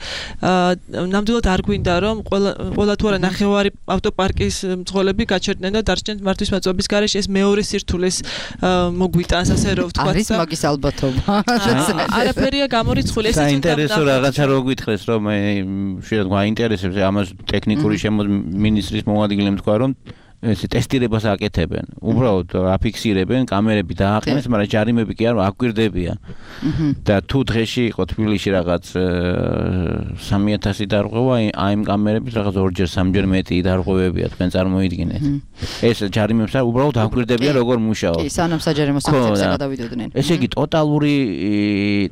ნამდვილად არ გვინდა რომ ყველა თუ არა ნახევარი ავტოპარკის მძღოლები გაჩერდნენ და დარჩნენ მართვის მაწვების გარეშე ეს მეორე სირთულეს მოგვიტანს ასე რომ ვთქვათ არის მაგის ალბათობა არაფერია გამორიცხული ეს საინტერესო რაღაცა რო გითხრეს რომ შეიძლება გაინტერესებს ამას ტექნიკური მინისტრის მოადგილემ თქვა რომ ესე ტესტირებას აკეთებენ. უბრალოდ აფიქსირებენ, კამერები დააყენეს, მაგრამ ჯარიმები კი არ აკვირდებიან. და თუ დღეში იყო თბილისში რაღაც 3000 დარღვევა, აი იმ კამერების რაღაც 2-ჯერ 3-ჯერ მეტი დარღვევებია, თქვენ წარმოიდგინეთ. ეს ჯარიმებს არ უბრალოდ აკვირდებიან როგორ მუშაობს. კი, სანამ საჯარიმო სანქციებზე გადავიდოდნენ. ესე იგი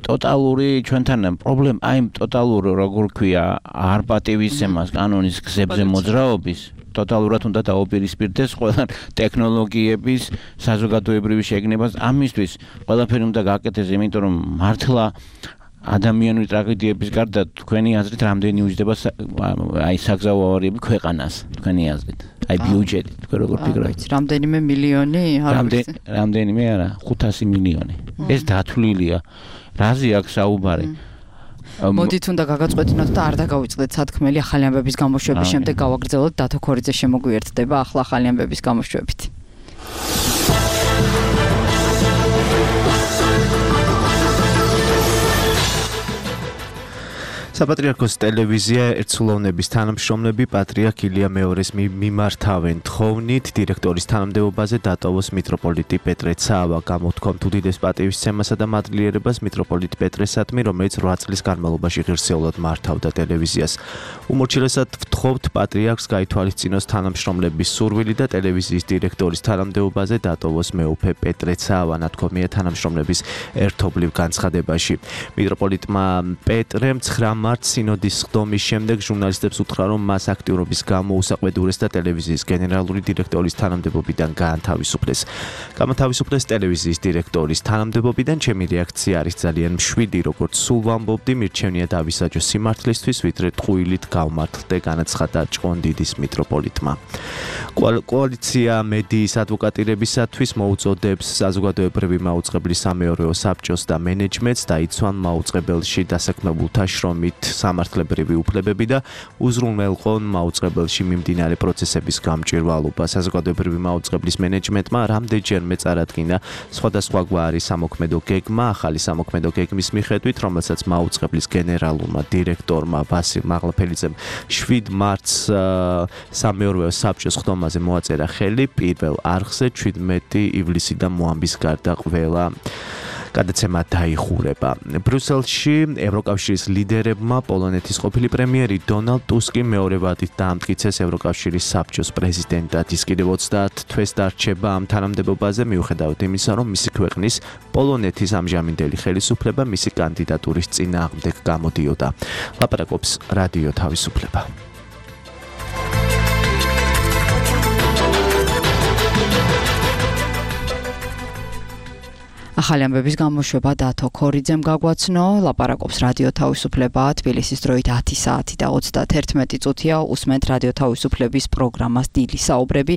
ტოტალური ჩვენთან პრობლემა, აი ტოტალური როგორ ქვია, არ პატივისცემას კანონის გზებზე მოძრაობის ტოტალურად უნდა დაუპირისპირდეს ყველა ტექნოლოგიების საზოგადოებრივი შეგნებას ამისთვის ყველაფერი უნდა გააკეთეს იმიტომ რომ მართლა ადამიანური ტრაგედიების გარდა თქვენი აზრით რამდენი უჯდება აი საგზაო ავარიები ქვეყანას თქვენი აზრით აი ბიუჯეტი თქვენ როგორ ფიქრობთ რამდენიმე მილიონი რამდენიმე არა 500 მილიონი ეს დათვლილია რაზე აქვს საუბარი მოდით უნდა გაგაწყვეტინოთ და არ დაგავიწყდეთ სათქმელი ახალი ამბების გამოშვების შემდეგ გავაგრძელოთ დათო ქორიძე შემოგვიერთდება ახლა ახალი ამბების გამოშვებით საპატრიარქოს ტელევიზია ერთსულოვნების თანამშრომლები პატრიარქ ილია მეორეს მიმართავენ თხოვნით დირექტორის თანამდებობაზე დატოვოს მიტროპოლიტი პეტრე ცავა გამოთქვამთ უდიდეს პატივისცემასა და მადლიერებას მიტროპოლიტ პეტრესადმი რომელიც 8 წლის განმავლობაში ღირსეულად მართავდა ტელევიზიას უმორჩილესად ვთხოვთ პატრიარქს გაითვალისწინოს თანამშრომლების სურვილი და ტელევიზიის დირექტორის თანამდებობაზე დატოვოს მეუფე პეტრე ცავა ნათქვამია თანამშრომლების ერთობლივ განცხადებაში მიტროპოლიტმა პეტრემ 9 მარტს სინოდის ხდომის შემდეგ ჟურნალისტებს უთხრა, რომ მას აქტიურობის გამო უსაყვედურეს და ტელევიზიის გენერალური დირექტორის თანამდებობიდან გაანთავისუფლეს. Გამოთავისუფლეს ტელევიზიის დირექტორის თანამდებობიდან ჩემი რეაქცია არის ძალიან მშვიდი, როგორც სულ ვამბობდი, მირჩევნია დავისაჯო სიმართლისთვის, ვიდრე ტყუილით გავმართლდე, განაცხადა ჭყონდიდის მიტროპოლიტმა. კოალიცია მედიის ადვოკატირებისათვის მოუწოდებს საზოგადოებრივი მაუწყებლის სამეურვეო საბჭოს და მენეჯმენტს დაიცვან მაუწყებელში დასაქმებულთა შრომით სამართლებრივი უფლებები და უზრუნველყონ მაუწყებელში მიმდინარე პროცესების გამჭვირვალობა. საზოგადოებრივი მაუწყებლის მენეჯმენტმა რამდენჯერმე წარადგინა სხვადასხვაგვარი სამოქმედო გეგმა, ახალი სამოქმედო გეგმის მიხედვით, რომელსაც მაუწყებლის გენერალურმა დირექტორმა ვასილ მაღლაფელიძემ 7 მარტს სამეურვეო საბჭოს ხდომაზე მოაწერა ხელი პირველ არხზე 17 ივლისიდან მოამბის გარდა ყველა გადაცემა დაიხურება. ბრიუსელში ევროკავშირის ლიდერებმა პოლონეთის ყოფილი პრემიერი დონალდ ტუსკი მეორე ვადით დაამტკიცეს ევროკავშირის საბჭოს პრეზიდენტად. ის კიდევ 30 თვეს დარჩება ამ თანამდებობაზე მიუხედავად იმისა, რომ მისი ქვეყნის პოლონეთის ამჟამინდელი ხელისუფლება მისი კანდიდატურის წინააღმდეგ გამოდიოდა. ლაპარაკობს რადიო თავისუფლება. ახალი ამბების გამოშვება დათო ქორიძემ გაგვაცნო, ლაპარაკობს რადიო თავისუფლება, თბილისის დროით 10 საათი და 31 წუთია უსმენთ რადიო თავისუფლების პროგრამას დილის საუბრები,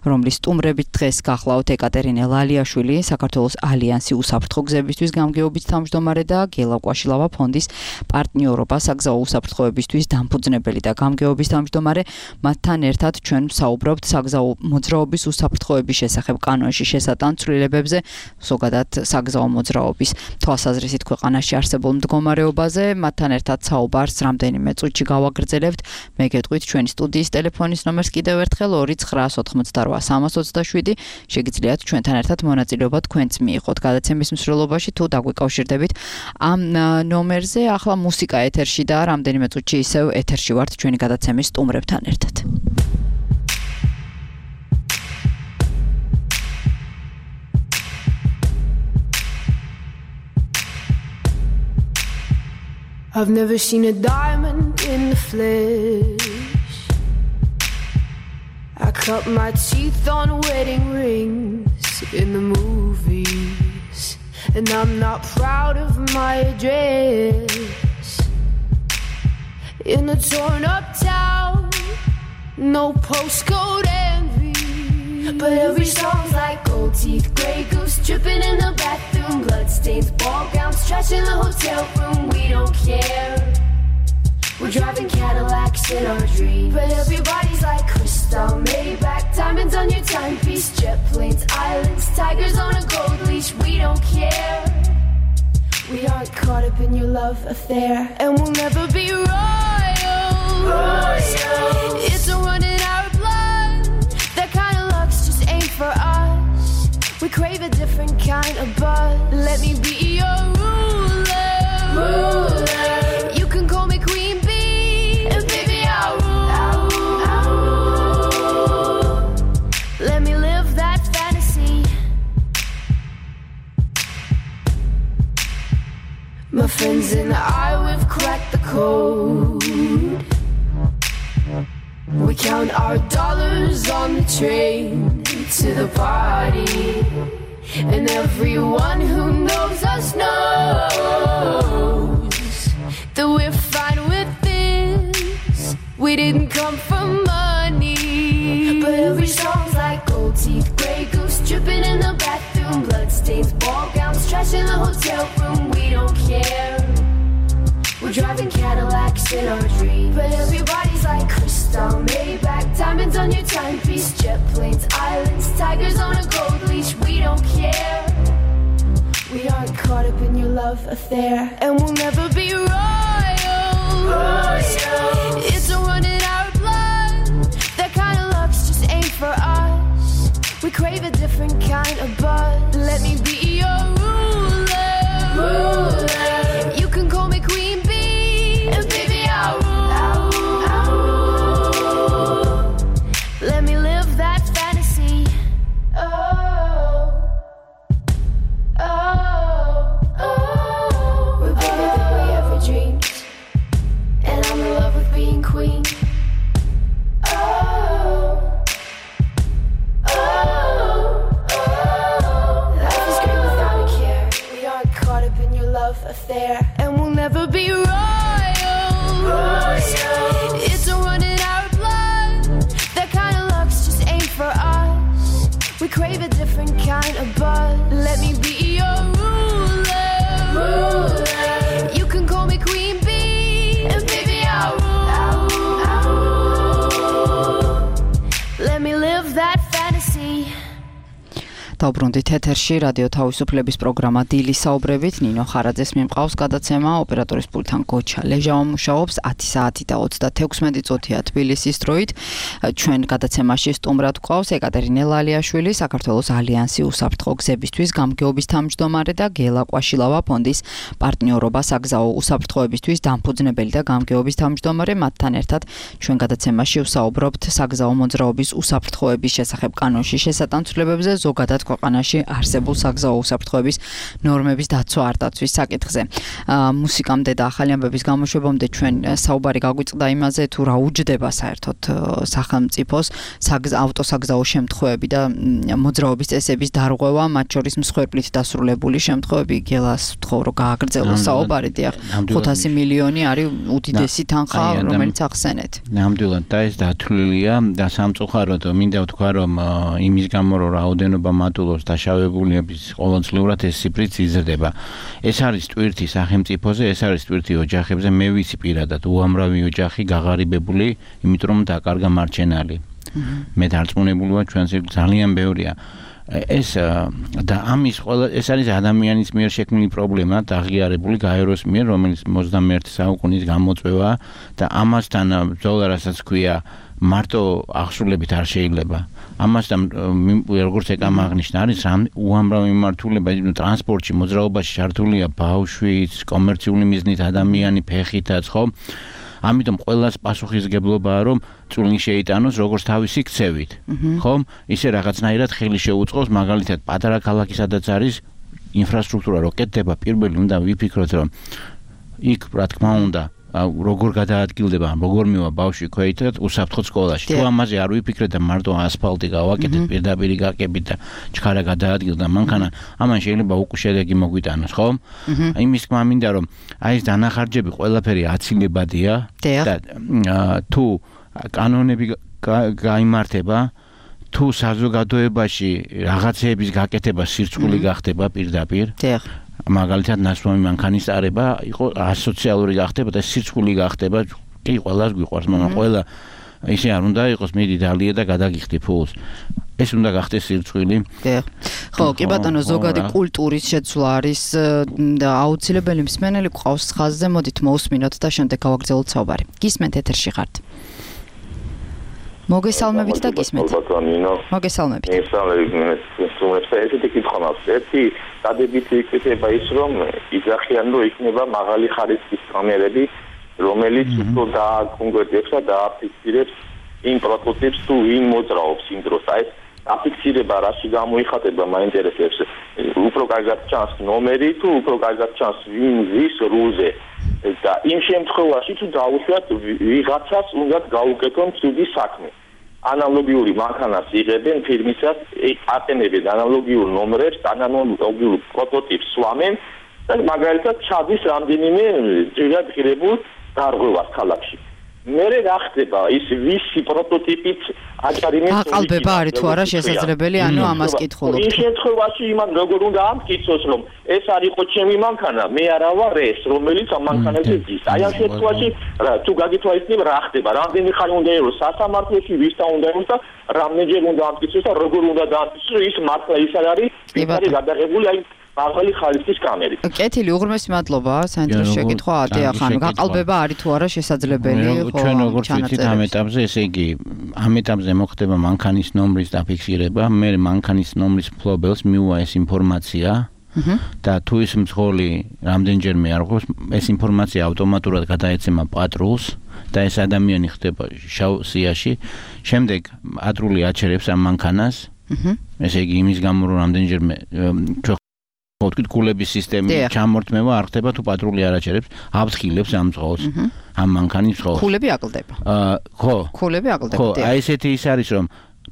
რომლის სტუმრებით დღეს გახლავთ ეკატერინე ლალიაშვილი, საქართველოს ალიანსი უსაფრთხო გზებისთვის გამგეობის თავმჯდომარე და გელა კვაშილავა ფონდის პარტნიორობა საგზაო უსაფრთხოებისთვის დამფუძნებელი და გამგეობის თავმჯდომარე, მათთან ერთად ჩვენ ვსაუბრობთ საგზაო მოძრაობის უსაფრთხოების შესახებ კანონში შესატან ცვლილებებზე, ზოგადად საგზაო მოძრაობის თვალსაზრისით ქვეყანაში არსებულ მდგომარეობაზე, მათთან ერთად საუბარს რამდენიმე წუთში გავაგრძელებთ. მე გეტყვით ჩვენი სტუდიის ტელეფონის ნომერს კიდევ ერთხელ 2988327. შეგიძლიათ ჩვენთან ერთად მონაწილეობა თქვენც მიიღოთ გადაცემის მსვლელობაში თუ დაგვიკავშირდებით ამ ნომერზე. ახლა მუსიკა ეთერში და რამდენიმე წუთში ისევ ეთერში ვართ ჩვენი გადაცემის სტუმრებთან ერთად. I've never seen a diamond in the flesh. I cut my teeth on wedding rings in the movies, and I'm not proud of my address. In a torn up town, no postcode envy, but every song's like gold teeth, grey goose dripping in the bathroom, bloodstains, ball gowns, trash in the hotel room. We don't care. We're driving Cadillacs in our dreams, but everybody's like crystal, Maybach, diamonds on your timepiece, jet planes, islands, tigers on a gold leash. We don't care. We aren't caught up in your love affair, and we'll never be royal. It's a run in our blood, that kind of We crave a different kind of buzz. Let me be your ruler. You can call me Queen Bee, and baby I'll rule. Let me live that fantasy. My friends and I, we've cracked the code. We count our dollars on the train to the party. And everyone who knows us knows that we're fine with this. We didn't come for money. But every song's like gold teeth, grey goose dripping in the bathroom, bloodstains, ball gowns, trash in the hotel room. We don't care. We're driving Cadillacs in our dreams. But everybody's like crystal, Maybach, diamonds on your timepiece, jet planes, islands, tigers on a gold leash. We don't care. We aren't caught up in your love affair, and we'll never be royals. It's a run in our blood. That kind of luck's just ain't for us. We crave a different kind of buzz. Let me be your ruler. You can call me Queen Bee, and baby I'll rule. Let me live that fantasy. Oh, we're bigger than we ever dreamed, and I'm in love with being queen. Life is great without a care. We aren't caught up in your love affair, and we'll never be royals. It's a run in our blood. That kind of luck's just ain't for us. We crave a different kind of buzz. Let me be your ruler. You can call me Queen Bee, and baby I'll rule. Let me live that fantasy. დაუბრუნდით ეთერში რადიო თავისუფლების პროგრამა დილის საუბრებით. ნინო ხარაძეს მიმყავს გადაცემა, ოპერატორის პულტთან გოჩა ლეჟავა მუშაობს. 10 საათი და 36 წუთია თბილისის დროით. ჩვენ გადაცემაში სტუმრად გვყავს ეკატერინე ლალიაშვილი, საქართველოს ალიანსი უსაფრთხო გზებისთვის გამგეობის თავმჯდომარე და გელა ყვაშილავა ფონდის პარტნიორობა საგზაო უსაფრთხოებისთვის დამფუძნებელი და გამგეობის თავმჯდომარე. მათთან ერთად ჩვენ გადაცემაში ვსაუბრობთ საგზაო მოძრაობის უსაფრთხოების შესახებ კანონში შესატანცვლებებზე, ზოგადად ქვეყანაში არსებულ საგზაო უსაფრთხოების ნორმების დაცვა არ დაცვის საკითხზე. მუსიკამდე და ახალი ამბების გამოშვებამდე ჩვენ საუბარი გაგვიწყდა იმაზე, თუ რა უჯდება საერთოდ სახელმწიფოს ავტოსაგზაო შემთხვევები და მოძრაობის წესების დარღვევა, მათ შორის მსხვერპლით დასრულებული შემთხვევები. გელას ვთხოვ, რომ გააგრძელოს საუბარი. 500 მილიონი არის უდიდესი თანხა, რომელიც ახსენეთ. ნამდვილად და ეს დათვლილია და სამწუხაროდ მინდა ვთქვა, რომ იმის გამო რომ რაოდენობა მატულობს დაშავებულების ყოველწლიურად ეს ციფრიც იზრდება. ეს არის ტვირთი სახელმწიფოზე, ეს არის ტვირთი ოჯახებზე. მე ვიცი პირადად უამრავი ოჯახი გაღარიბებული, იმიტომ რომ დაკარგა მარჩენალი. მე დარწმუნებული ვარ, ჩვენს ძალიან ბევრია. ეს და ამის ყველა ეს არის ადამიანის მიერ შექმნილი პრობლემა, აღიარებული გაეროს მიერ, რომელიც 21 საუკუნის გამოწვევა და ამასთან ბრძოლა, რასაც ქვია, მარტო აღსრულებით არ შეიძლება. ამასთან როგორც ეკამაღნიშნა, არის უამრავი მიმართულება, ტრანსპორტში, მოძრაობაში ჩართულია ბავშვიც, კომერციული მიზნით ადამიანი, ფეხითაც, ხო? ამიტომ ყველას პასუხისგებლობაა, რომ წვლილი შეიტანოს როგორც თავისი ქცევით, ხო? ისე რაღაცნაირად ხელი შეუწყოს, მაგალითად, პატარა ქალაქი სადაც არის ინფრასტრუქტურა რო კეთდება, პირველი უნდა ვიფიქროთ, რომ იქ, რა თქმა უნდა, როგორ გადაადგილდება, როგორ მივა ბავშვი ქვეითად უსაფრთხო სკოლაში. თუ ამაზე არ ვიფიქრეთ და მარტო ასფალტი გავაკეთეთ, პირდაპირი გაკებით და ჩქარა გადაადგილდა, მანქანა, ამან შეიძლება უკვე შედეგი მოგვიტანოს, ხო? იმის თქმა მინდა, რომ აი ეს დანახარჯები ყველაფერი აცილებადია და თუ კანონები გაიმართება, თუ საზოგადოებაში რაღაცეების გაკეთება სირცხული გახდება პირდაპირ. მაგალითად ნასვამი მანქანის წარება იყო ასოციალური გახდება და სირცხული გახდება. კი, ყველას გვიყვარს, მაგრამ ყველა ისე არ უნდა იყოს, მიდი დალია და გადაგიხდი ფულს. ეს უნდა გახდეს სირცხვილი. ხო, კი ბატონო, ზოგადი კულტურის შეცვლა არის და აუცილებელი მსმენელი გვყავს ხაზზე, მოდით მოусმინოთ და შემდეგ გავაგრძელოთ საუბარი. გისმენთ ეთერში ხართ. მოგესალმებით და გისმენთ. მოგესალმებით. ესეთი კითხვა მაქვს. ერთი დადებითი იქნება ის, რომ იძახიან, რომ იქნება მაღალი ხარისხის კამერები, რომელიც უფრო დააკონკრეტებს და დააფიქსირებს იმ პროტოტიპს თუ ვინ მოძრაობს იმ დროს. აი ეს აფიქსირება რაში გამოიხატება მაინტერესებს. უფრო კარგად ჩანს ნომერი თუ უფრო კარგად ჩანს ვინ ზის რულზე. და იმ შემთხვევაში თუ დაუშვათ ვიღაცას უნდა გაუკეთონ ცუდი საქმე. ანალოგიური მანქანას იღებენ ფირმისას, ატენებენ ანალოგიურ ნომრებს, ანალოგიურ პროტოტიპს სვამენ და მაგალითად ჩადის რამდენიმე ძირად ღირებულ დარღვევას ქალაქში. მერე რა ხდება ის ვისი პროტოტიპით აჭარიმეს აყალბება არის თუ არა შესაძლებელი, ანუ ამას კითხულობთ. იმ შემთხვევაში იმან როგორ უნდა ამტკიცოს, რომ ეს არ იყო ჩემი მანქანა, მე არა ვარ ეს, რომელიც ამ მანქანაზე ძის. აი ამ შემთხვევაში თუ გაგითვალისწინებ რა ხდება, რამდენი ხანი უნდა იყოს სასამართლოში, ვისთან უნდა იყოს და რამდენჯერ უნდა ამტკიცოს და როგორ უნდა დაამტკიცოს, რომ ის მართლა ის არის, ის არის გადაღებული აი მაღალი ხარისხის კამერი. კეთილი, უღრმესი მადლობა, საინტერესო შეკითხვა. ახლა გაყალბება არის თუ არა შესაძლებელი, ხო? ჩვენ როგორც ვიცით ამ ეტაპზე, ესე იგი, ამ ეტაპზე მოხდება მანქანის ნომრის დაფიქსირება, მე მანქანის ნომრის მფლობელს მიუვა ეს ინფორმაცია და თუ ის მძღოლი რამდენჯერმე არ ყოფს, ეს ინფორმაცია ავტომატურად გადაეცემა პატრულს და ეს ადამიანი ხდება შავ სიაში. შემდეგ პატრული აჩერებს ამ მანქანას. ესე იგი, იმის გამო რომ რამდენჯერმე თქვით გულების სისტემის ჩამორთმევა არ ხდება თუ პატრული არ აჩერებს, აფრთხილებს ამ მძღოლს, ამ მანქანის მძღოლს. ქულები აკლდება. ხო. ქულები აკლდება. ხო, აი ესეთი ის არის რომ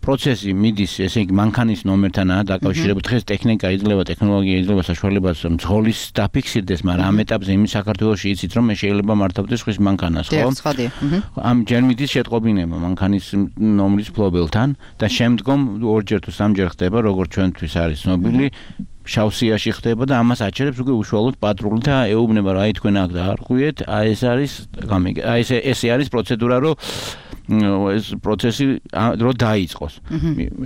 პროცესი მიდის, ესე იგი მანქანის ნომერთანაა დაკავშირებული. დღეს ტექნიკა იძლევა, ტექნოლოგია იძლევა საშუალებას მძღოლის დაფიქსირდეს, მაგრამ ამ ეტაპზე იმის საქართველოში იცით რომ მე შეიძლება მართავდეს სხვის მანქანას, ხო? ამ ჯერ მიდის შეტყობინება მანქანის ნომრის მფლობელთან და შემდგომ ორჯერ თუ სამჯერ ხდება, როგორც ჩვენთვის არის ცნობილი, შავსიაში ხდება და ამას აჩერებს უკვე უშუალოდ პატრული და ეუბნება რა თქვენ აქ დაარღვიეთ, აი ეს არის აი ესე არის პროცედურა, რომ ეს პროცესი რო დაიწყოს.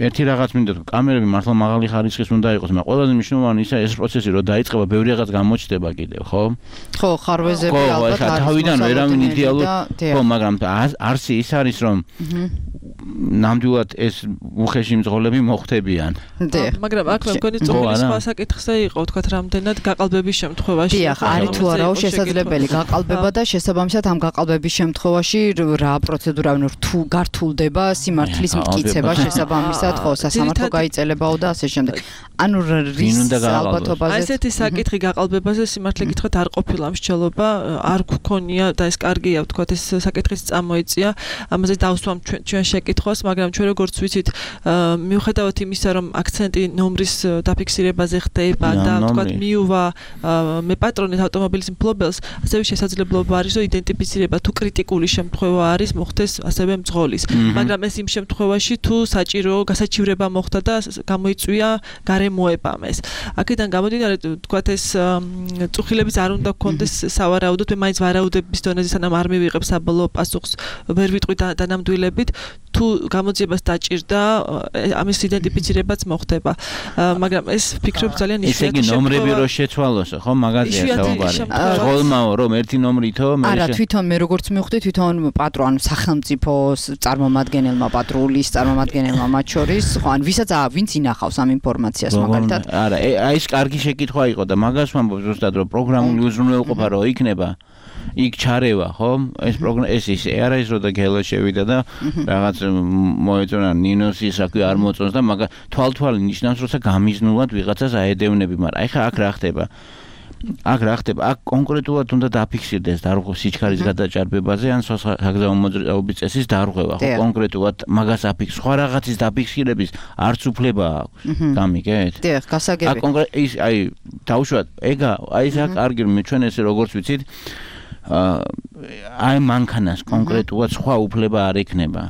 ერთი რაღაც მინდა თუ კამერები მართლა მაღალი ხარისხის უნდა იყოს, მაგრამ ყველაზე მნიშვნელოვანი ისა ეს პროცესი რო დაიწყება, ბევრი რაღაც გამოჩნდება კიდევ, ხო? ხო, ხარვეზები ალბათ არის. თავიდან ვერავინ იდეალურ, ხო, მაგრამ არსი ის არის რომ ნამდვილად ეს უხეში მძღოლები მოხდებიან. მაგრამ აქ მე მგონი წოხლის საკითხზე იყო, თქვათ, რამდენად გაყალბების შემთხვევაში. დიახ, არის თუ არაო შესაძლებელი გაყალბება და შესაბამისად ამ გაყალბების შემთხვევაში რა პროცედურა თუ გართულდება სიმართლის მტკიცება შესაბამისად, ხო, სასამართლო გაიწელებაო და ასე შემდეგ. ანუ რის ალბათობაზე ესეთი საკითხი გაყალბებაზე სიმართლე გითხრათ არ ყოფილა მსჯელობა, არ გქონია და ეს კარგია, ვთქვათ, ეს საკითხიც წამოიწია. ამაზე დავსვამ ჩვენ შეკითხვას, მაგრამ ჩვენ როგორც ვიცით, მიუხედავად იმისა, რომ აქცენტი ნომრის დაფიქსირებაზე ხდება და ვთქვათ, მიუვა მე პატრონით ავტომობილის მფლობელს, ასევე შესაძლებლობა არის, რომ იდენტიფიცირება თუ კრიტიკული შემთხვევა არის, მოხდეს ასევე მძღოლის. მაგრამ ეს იმ შემთხვევაში თუ საჭირო გასაჩივრება მოხდა და გამოიწვია გარემოებამ ეს. აქედან გამომდინარე, ვთქვათ, ეს წუხილების არ უნდა გქონდეს სავარაუდოდ, მე მაინც ვარაუდების დონეზე სანამ არ მივიღებ საბოლოო პასუხს, ვერ ვიტყვი დანამდვილებით, თუ გამოძიებას დაჭირდა, ამის იდენტიფიცირებაც მოხდება. მაგრამ ეს ფიქრობ ძალიან ისე იგი ნომრები რო შეცვალოს, ხო, მაგაზია საუბარი. მძღოლმაო რომ ერთი ნომრითო, არა, თვითონ მე როგორც მივხვდი, თვითონ პატრონ სახელმწიფოს წარმომადგენელმა, პატრულის წარმომადგენელმა მათ შორის, ხო, ან ვინც ინახავს ამ ინფორმაციას მაგალითად. არა, აი ეს კარგი შეკითხვა იყო და მაგას ვამბობ ზუსტად რომ პროგრამული უზრუნველყოფა რო იქნება, იქ ჩარევა, ხო? ეს ისე არა ის რომ და გელა შევიდა და რაღაც მოეწონა ნინოსის აკვი არ მოწონს და მაგა თვალთვალი ნიშნავს რომ გამიზნულად ვიღაცას აედევნები, მაგრამ ეხა აქ რა ხდება? აქ კონკრეტულად უნდა დაფიქსირდეს დარღვევა სიჩქარის გადაჭარბებაზე ან საგზაო მოძრაობის წესის დარღვევა, ხო, კონკრეტულად მაგას აფიქსირებს. სხვა რაღაცის დაფიქსირების არც უფლება აქვს. გამიგეთ? დიახ, გასაგები. აქ კონკრეტ ის აი დავუშვათ, ეგა აი ეს კარგი მე ჩვენ ესე როგორც ვიცით აი მანქანას კონკრეტულად სხვა უფლება არ ექნება.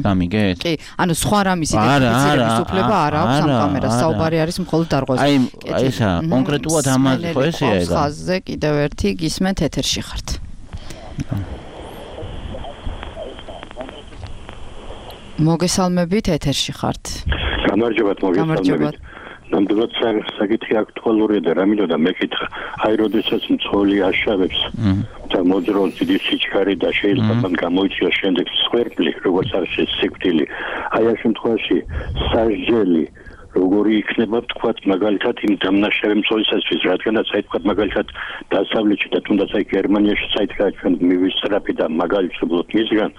გამიგეთ? კი, ანუ სხვა რამის იდენტიფიცირების უფლება არ აქვს ამ კამერას. საუბარი არის მხოლოდ დარღვევაზე. აი ესა კონკრეტულად ამაზე ხო ესეა ეგა. ხაზზე კიდევ ერთი გისმენთ ეთერში ხართ. მოგესალმებით ეთერში ხართ. გამარჯობათ, მოგესალმებით. ნამდვილად საკითხი აქტუალურია და რამინო და მეკითხა აი როდესაც მძღოლი აშავებს და მოძრაობს დიდი სიჩქარე და შეიძლება მან გამოიწვიოს შემდეგ სვერპლი როგორც არის სიკვდილი აი ამ შემთხვევაში სასჯელი როგორი იქნება თქვათ მაგალითად იმ დამნაშავე მძღოლისათვის რადგანაც აი თქვათ მაგალითად დასავლეთში და თუნდაც აი გერმანიაში საითქა ჩვენ მივისწრაფი და მაგალითად მისგან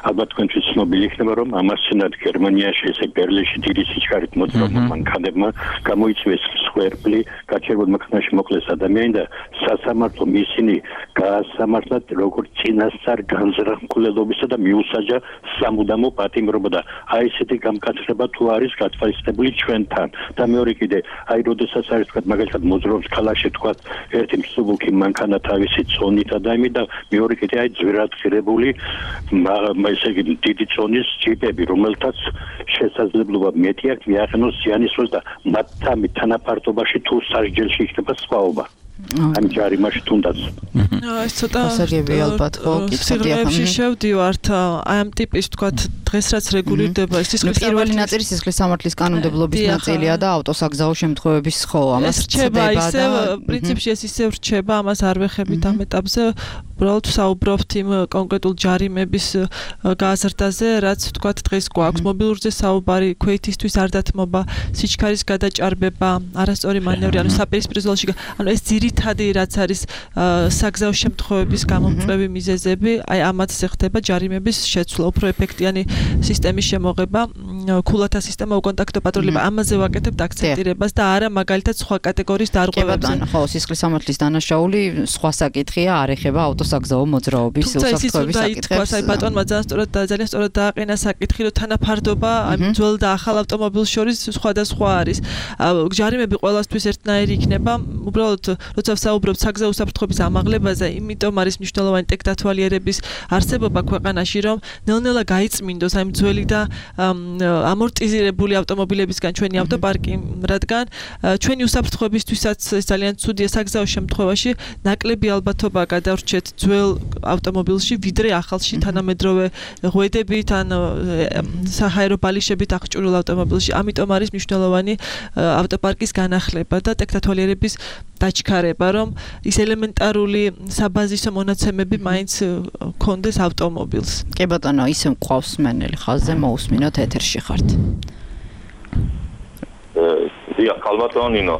ალბათ თქვენთვის ცნობილი იქნება რომ ამასთანავე გერმანიაში ესე ბერლინში დიდი სიჩქარით მოძრაობმა მანქანებმა გამოიწვიეს სვერპლი გაჩერებულ მანქანაში მოკლეს ადამიანი და სასამართლომ ისინი გაასამართლათ როგორც წინასწარ განზრახულობისა და მიუსაჯა სამუდამო პატიმრობა და აი ესეთი გამკაცრება თუ არის გათვალისწინებული ჩვენ და მეორე კიდე აი როდესაც არის თქვა მაგალითად მოძრაობს ქალაქში თქვა ერთი მსუბუქი მანქანა თავისი წონით და იმით და მეორე კიდე აი ძვირად ღირებული ესე იგი დიდი წონის ჯიპები რომელთაც შესაძლებლობა მეტი აქვს მიაღწიოს ზიანისოს და მათთან თანაფართობაში თუ სასჯელში იქნება სხვაობა ამ ჯარიმაში თუნდაც ეს ცოტა გასაგები ალბათ ხო სიღრმეებში შევდივართ აი ამ ტიპის თქვა დღეს რაც რეგულირდება ეს სისხლის პირველი ნაწილი სისხლის სამართლის კანონმდებლობის ნაწილია და ავტოსაგზაო შემთხვევების ხო ამას რჩება ისე პრინციპში ეს ისე რჩება ამას არ ვეხებით ამ ეტაპზე უბრალოდ საუბრობთ იმ კონკრეტულ ჯარიმების გაზრდაზე რაც თქვა დღეს გვაქვს მობილურზე საუბარი ქვეითისთვის არ დათმობა სიჩქარის გადაჭარბება არასწორი მანევრი ანუ საპირისპირო ზოლში ანუ ეს ძირითადი რაც არის საგზაო შემთხვევების გამომწვევი მიზეზები აი ამათზე ხდება ჯარიმების შეცვლა უფრო ეფექტიანი სისტემის შემოღება ქულათა სისტემა უკონტაქტო პატრულება ამაზე ვაკეთებთ აქცენტირებას და არა მაგალითად სხვა კატეგორიის დარღვევებზე ხო სისხლის სამართლის დანაშაული სხვა საკითხია არ ეხება ავტოსაგზაო მოძრაობის უსაფრთხოების საკითხებს აი ბატონმა ძალიან სწორად დააყენა საკითხი რომ თანაფარდობა აი ძველ და ახალ ავტომობილს შორის სხვადასხვა არის ჯარიმები ყველასთვის ერთნაირი იქნება უბრალოდ როცა საუბრობთ საგზაო უსაფრთხოების ამაღლებაზე იმიტომ არის მნიშვნელოვანი ტექდათვალიერების არსებობა ქვეყანაში რომ ნელ-ნელა გაიწმინდოს აი ძველი და ამორტიზირებული ავტომობილებისგან ჩვენი ავტოპარკი რადგან ჩვენი უსაფრთხოებისთვისაც ეს ძალიან ცუდია საგზაო შემთხვევაში ნაკლები ალბათობა გადავრჩეთ ძველ ავტომობილში ვიდრე ახალში თანამედროვე ღვედებით ან საჰაერო ბალიშებით აღჭურვილ ავტომობილში ამიტომ არის მნიშვნელოვანი ავტოპარკის განახლება და ტექდათვალიერების დაჩქარება რომ ის ელემენტარული საბაზისო მონაცემები მაინც კონდეს ავტომობილს კი ბატონო ისე მყავს მენელი ხაზზე მოусმინოთ ეთერში ხართ დიახ კალბატონინო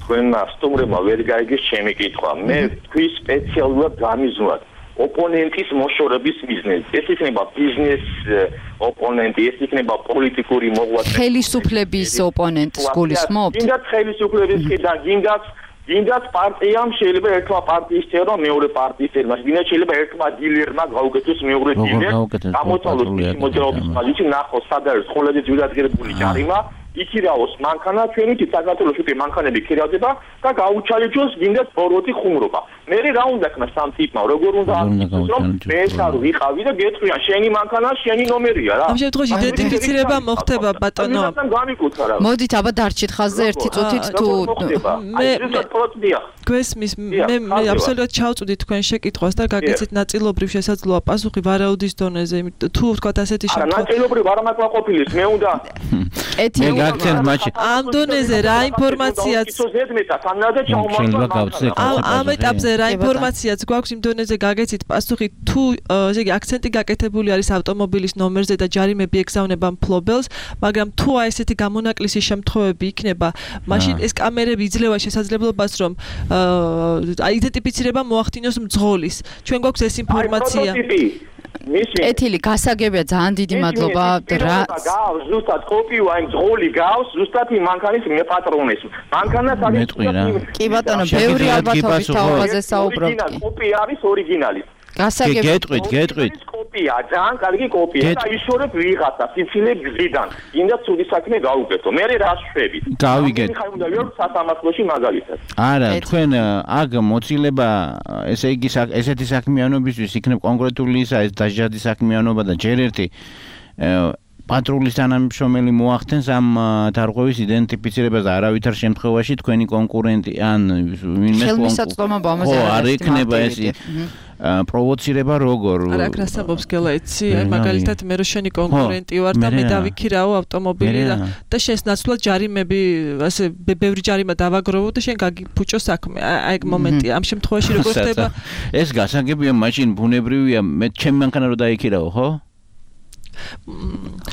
თქვენ სტუმრებმა ვერ გაიგეს ჩემი კითხვა მე თქვი სპეციალურად გამიზნვათ ოპონენტის მოშორების მიზნით ეს იქნება ბიზნეს ოპონენტი ეს იქნება პოლიტიკური მოღვაწე ხელისუფლების ოპონენტს გულისხმობთ გინდათ ხელისუფლების და გინდათ პარტიამ შეიძლება ერთმა პარტიის წევრმა მეორე პარტიის წევრმა გინდათ შეიძლება ერთმა დილერმა გაუკეთოს მეორე დილერს გამოცვალოს მოძრაობის ხალხი ნახოს სად არის ხოლმე ძვირადღირებული ჯარიმა იქირავოს მანქანა ჩვენი საქართველოში კი მანქანები ქირავდება და გაუჩალეჯოს გინდათ ბოროტი ხუმრობა მე რა უნდა ქნა სამ ტიპმა როგორ უნდა რომ მე არ ვიყავი და გეტყვიან შენი მანქანა შენი ნომერია რა ამ შემთხვევაში იდენტიფიცირება მოხდება ბატონო მოდით აბა დარჩით ხაზზე ერთი წუთით თუ გვესმის მე აბსოლუტურად ჩავწვდი თქვენ შეკითხვას და გაგეცით ნაწილობრივ შესაძლოა პასუხი ვარაუდის დონეზე თუ ვთქვათ ასეთი შემთხვევა ნაწილობრივ არ მაკმაყოფილის მე უნდა ამ დონეზე რა ინფორმაციაც ამ ეტაპზე რა ინფორმაციაც გვაქვს იმ დონეზე გაგეცით პასუხი თუ ესე იგი აქცენტი გაკეთებული არის ავტომობილის ნომერზე და ჯარიმები ეგზავნება მფლობელს მაგრამ თუ აი ესეთი გამონაკლისი შემთხვევები იქნება მაშინ ეს კამერები იძლევა შესაძლებლობას რომ აიდენტიფიცირება მოახდინოს მძღოლის ჩვენ გვაქვს ეს ინფორმაცია ეთილი გასაგებია ძალიან დიდი მადლობა რა გავს ზუსტად კოპიო აი მძღოლი გავს ზუსტად იმ მანქანის მეპატრონეს მანქანას არის კი ბატონო ბევრი ალბათობის თაობაზე საუბრობთ კოპი არის ორიგინალი გასაგებია გეტყვით კოპია ძალიან კარგი კოპია და იშორებ ვიღაცა სიცილე გზიდან ინდა ცუდი საქმე გაუკეთო მე რა შვები გავიგეთ ხარ უნდა ვიოთ სასამართლოში მაგალითად არა თქვენ აგ მოცილება ესე იგი ესეთი საქმიანობისთვის იქნებ კონკრეტული ისა ეს დაჟადი საქმიანობა და ჯერ ერთი პატრულის თანამშრომელი მოახდენს ამ დარღვევის იდენტიფიცირებას და არავითარ შემთხვევაში თქვენი კონკურენტი ან ვინმე ხელმისაწვდომობა ამაზე არ იქნება ეს პროვოცირება როგორ? არა, აქ რასაბობს გელა იცი? აი მაგალითად მე რო შენი კონკურენტი ვარ და მე დავიქირაო ავტომობილი და შენს ნაცვლად ჯარიმები, ასე ბევრი ჯარიმა დავაგროვო და შენ გაგიფუჭო საქმე. აი ეგ მომენტია. ამ შემთხვევაში როგორ ხდება? ეს გასაგებია, მაშინ ბუნებრივია, მე ჩემი მანქანა რო დაიქირავო, ხო?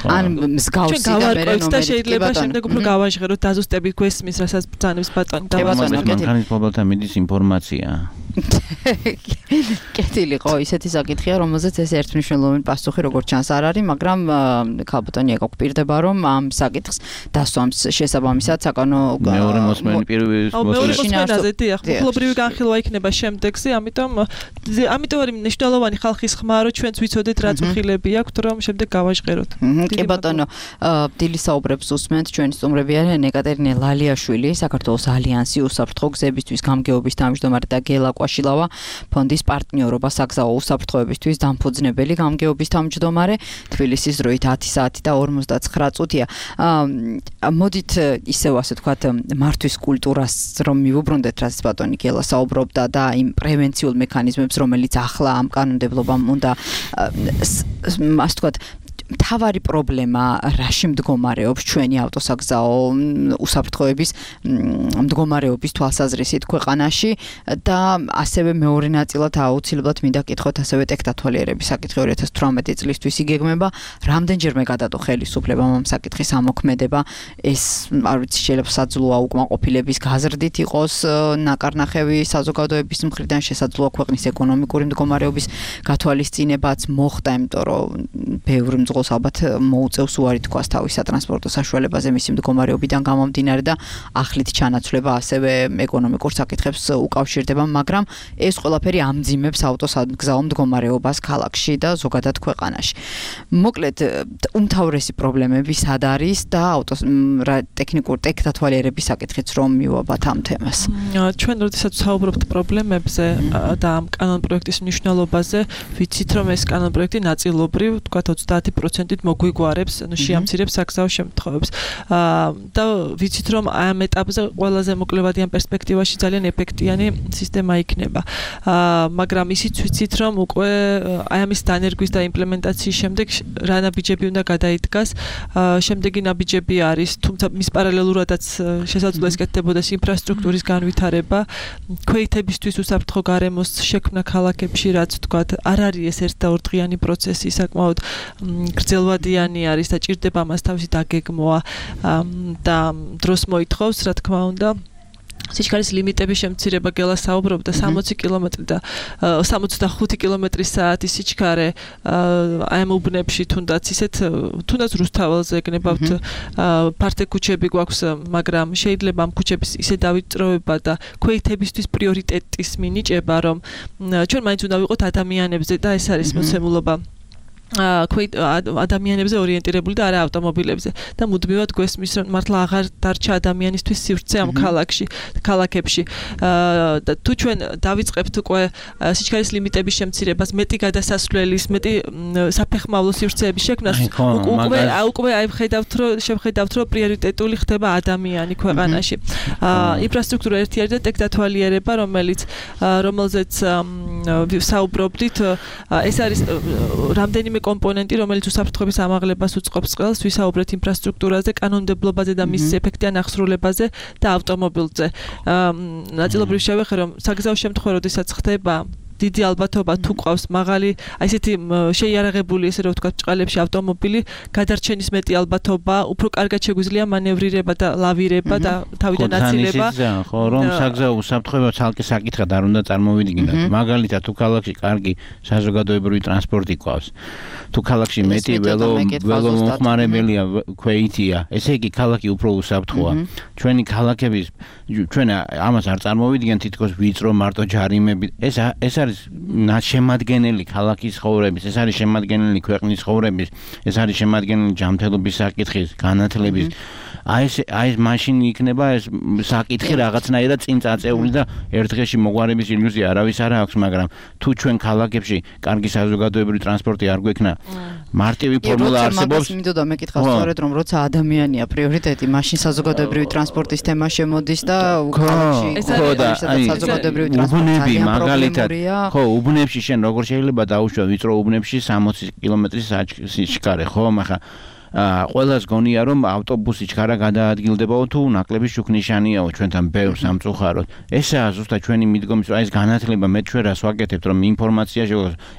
ან მსგავსი და მე და შეიძლება შემდეგ უფრო გავაჟღეროთ დაზუსტებით გვესმის, რასაც ბრძანებს ბატონი და მანქანის მფლობელთან მიდის ინფორმაცია. კეთილი ხო, ისეთი საკითხია, რომელზეც ეს ერთმნიშვნელოვანი პასუხი როგორც ჩანს არ არის, მაგრამ ქალბატონი ეკო გვპირდება, რომ ამ საკითხს დასვამს შესაბამისად საკანო მეორე მოსმენი პირველი მოსმენაზე დიახ, მფლობრივი განხილვა იქნება შემდეგზე, ამიტომ არის მნიშვნელოვანი ხალხის ხმა, რომ ჩვენც ვიცოდეთ რა წუხილები აქვთ, რომ შემდეგ გავაჟღეროთ. კი ბატონო, დილის საუბრებს უსმენთ ჩვენი სტუმრები არიან ეკატერინე ლალიაშვილი, საქართველოს ალიანსი უსაფრთხო გზებისთვის გამგეობის თავმჯდომარე და გელა კვაშილავა, ფონდის პარტნიორობა საგზაო უსაფრთხოებისთვის დამფუძნებელი გამგეობის თავმჯდომარე, თბილისის დროით 10 საათი და 59 წუთია. მოდით ისევ ასე ვთქვათ მართვის კულტურას რომ მივუბრუნდეთ, რაც ბატონი გელა საუბრობდა და იმ პრევენციულ მექანიზმებს, რომელიც ახლა ამ კანონმდებლობამ უნდა ასე ვთქვათ მთავარი პრობლემა რაში მდგომარეობს ჩვენი ავტოსაგზაო უსაფრთხოების მდგომარეობის თვალსაზრისით ქვეყანაში და ასევე მეორე ნაწილად აუცილებლად მინდა გითხოთ ასევე ტექნათვალიერების საკითხი 2018 წლისთვის იგეგმება, რამდენჯერმე გადადო ხელისუფლებამ ამ საკითხის ამოქმედება, ეს არ ვიცი შეიძლება საძლოა უკმაყოფილების გაზრდით იყოს ნაკარნახევი საზოგადოების მხრიდან, შესაძლოა ქვეყნის ეკონომიკური მდგომარეობის გათვალისწინებაც მოხდა, იმიტომ რომ ბევრი ალბათ მოუწევს უარი თქვას თავის სატრანსპორტო საშუალებაზე მისი მდგომარეობიდან გამომდინარე და ახლით ჩანაცვლება ასევე ეკონომიკურ საკითხებს უკავშირდება, მაგრამ ეს ყველაფერი ამძიმებს ავტოსაგზაო მდგომარეობას ქალაქში და ზოგადად ქვეყანაში. მოკლედ, უმთავრესი პრობლემები სად არის და ტექნათვალიერების საკითხიც რომ მივაბათ ამ თემას. ჩვენ როდესაც საუბრობთ პრობლემებზე და ამ კანონპროექტის მნიშვნელობაზე, ვიცით რომ ეს კანონპროექტი ნაწილობრივ, თქვათ 30%-ით მოგვიგوارებს, შეამცირებს საგზაო შემთხვევებს. და ვიცით რომ ამ ეტაპზე ყველაზე მოკლევადიან პერსპექტივაში ძალიან ეფექტიანი სისტემა იქნება. მაგრამ ისიც ვიცით რომ უკვე აი ამის დანერგვის და იმპლემენტაციის შემდეგ რა ნაბიჯები უნდა გადაიდგას. შემდეგი ნაბიჯები არის, თუმცა მის პარალელურადაც შესაძლოა ესკეთდებოდეს ინფრასტრუქტურის განვითარება, ქვეითებისთვის უსაფრთხო გარემოს შექმნა ქალაქებში, რაც ვთქვათ, არ არის ეს ერთ და ორდღიანი პროცესი, საკმაოდ გრძელვადიანი არის და ჭირდება მას თავისი დაგეგმვა და დროს მოითხოვს, რა თქმა უნდა. სიჩქარის ლიმიტების შემცირება გელა საუბრობდა 60 კილომეტრი და 65 კილომეტრი/საათი სიჩქარე აი ამ უბნებში თუნდაც რუსთაველზე ეგნებავთ ფართე ქუჩები გვაქვს, მაგრამ შეიძლება ამ ქუჩების ისე დავიწროვება და ქვეითებისთვის პრიორიტეტის მინიჭება, რომ ჩვენ მაინც უნდა ვიყოთ ადამიანებზე და ეს არის მოცემულობა ადამიანებზე ორიენტირებული და არა ავტომობილებზე და მუდმივად გვესმის რომ მართლა აღარ დარჩა ადამიანისთვის სივრცე ამ ქალაქებში და თუ ჩვენ დავიწყებთ უკვე სიჩქარის ლიმიტების შემცირებას, მეტი გადასასვლელის, მეტი საფეხმავლო სივრცეების შექმნას, უკვე აი შევხედავთ რომ პრიორიტეტული ხდება ადამიანი ქვეყანაში. ინფრასტრუქტურა ერთი არის და ტექნათვალიერება, რომელზეც საუბრობდით, ეს არის რამდენიმე კომპონენტი, რომელიც უსაფრთხოების ამაღლებას უწყობს ყველას, ვისაუბრეთ ინფრასტრუქტურაზე, კანონმდებლობაზე და მის ეფექტიან აღსრულებაზე და ავტომობილზე. ნაწილობრივ შევეხე, რომ საგზაო შემთხვევა, როდესაც ხდება დიდი ალბათობა თუ ყავს მაღალი, აი ესეთი შეიარაღებული, ესე რომ ვთქვათ, ჭყალებში ავტომობილი, გადარჩენის მეტი ალბათობა, უფრო კარგად შეგვიძლია მანევრირება და ლავირება და თავიდან აცილება. ხო, რომ საგზაო უსაფრთხოება ცალკე საკითხად არ უნდა წარმოვიდგინოთ. მაგალითად, თუ ქალაქში კარგი საზოგადოებრივი ტრანსპორტი ყავს, თუ ქალაქში მეტი ველომომხმარებელია, ქვეითია, ესე იგი ქალაქი უფრო უსაფრთხოა. ჩვენი ქალაქების ჩვენ ამას არ წარმოვიდგენთ თითქოს ვიწრო მარტო ჯარიმები. ეს არის შემადგენელი ქალაქის ცხოვრების, ეს არის შემადგენელი ქვეყნის ცხოვრების, ეს არის შემადგენელი ჯანმრთელობის საკითხის, განათლების აი ეს მაშინ იქნება ეს საკითხი რაღაცნაირად წინ წაწეული და ერთ-ერთი მოგვარების ილუზია არავის არ აქვს, მაგრამ თუ ჩვენ ქალაქებში კარგი საზოგადოებრივი ტრანსპორტი არ გვექნა, მარტივი ფორმულა არსებობს. მინდოდა მეკითხა სწორედ რომ როცა ადამიანია პრიორიტეტი, მაშინ საზოგადოებრივი ტრანსპორტის თემა შემოდის და ქალაქში საზოგადოებრივი ტრანსპორტი მაგალითად ხო, უბნებში შენ როგორ შეიძლება დაუშვა ვიწრო უბნებში 60 კილომეტრის სიჩქარე, ხო, მაგრამ ყველას გონია რომ ავტობუსი ჩქარა გადაადგილდებაო თუ ნაკლები შუქნიშანიაო ჩვენთან ბევრ სამწუხაროდ. ესაა ზუსტად ჩვენი მიდგომის ეს განათლება მე ჩვენ რას ვაკეთებთ რომ ინფორმაცია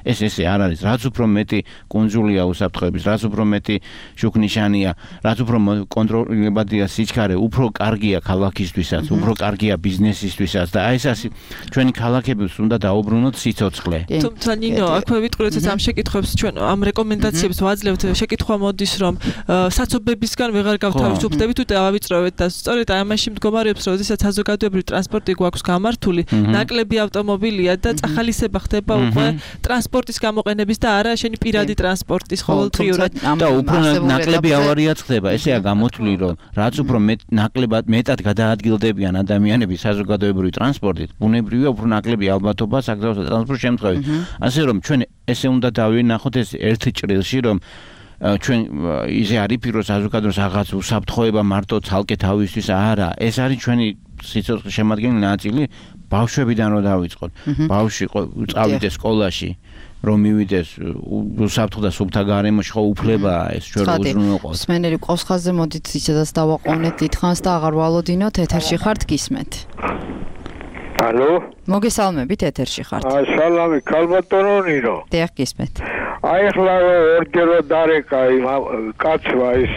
ესე არ არის. რაც უფრო მეტი კუნძულია უსაფრთხოების, რაც უფრო მეტი შუქნიშანია, რაც უფრო კონტროლებადია სიჩქარე, უფრო კარგია ქალაქისთვისაც, უფრო კარგია ბიზნესისთვისაც და აი ეს ჩვენი ქალაქებიც უნდა დაუბრუნოთ სიცოცხლე. თუმცა ნინო, აქვე ვიტყურეთ ამ შეკითხვებს ჩვენ ამ რეკომენდაციებს ვაძლევთ. შეკითხვა მოდის რომ საცობებისგან ვეღარ გავთავისუფლდებით თუ დავავიწროვეთ და სწორედ ამაში მდგომარეობს რომ როდესაც საზოგადოებრივი ტრანსპორტი გვაქვს გამართული, ნაკლები ავტომობილია და წახალისება ხდება უკვე ტრანსპორტის გამოყენების და არა შენი პირადი ტრანსპორტის ყოველდღიურად და უფრო ნაკლები ავარიაც ხდება. ესეა გამოთვლილი რომ რაც უფრო მეტად გადაადგილდებიან ადამიანები საზოგადოებრივი ტრანსპორტით, ბუნებრივია უფრო ნაკლები ალბათობა საგზაო ტრანსპორტის შემთხვევით. ასე რომ ჩვენ ესე უნდა დავინახოთ ეს ერთ ჭრილში რომ ჩვენ ისე არ იფიქროს საზოგადოებას რაღაც უსაფრთხოება მარტო ცალკე თავისთვის არა, ეს არის ჩვენი სიცოცხლის შემადგენელი ნაწილი. ბავშვებიდან რომ დავიწყოთ, ბავშვი წავიდეს სკოლაში, რომ მივიდეს უსაფრთხო და სუფთა გარემოში, ხო უფლებაა ეს ჩვენ რო უზრუნველყოთ. მსმენელი ყავს ხაზზე, მოდით ისედაც დავაყოვნეთ დიდხანს და აღარ ვალოდინოთ, ეთერში ხართ, გისმენთ. ალო? მოგესალმებით, ეთერში ხართ. სალამი, ქალბატონო ნინო. დიახ, გისმენთ. აი ახლა ორჯერო დარეკა იმ კაცმა ის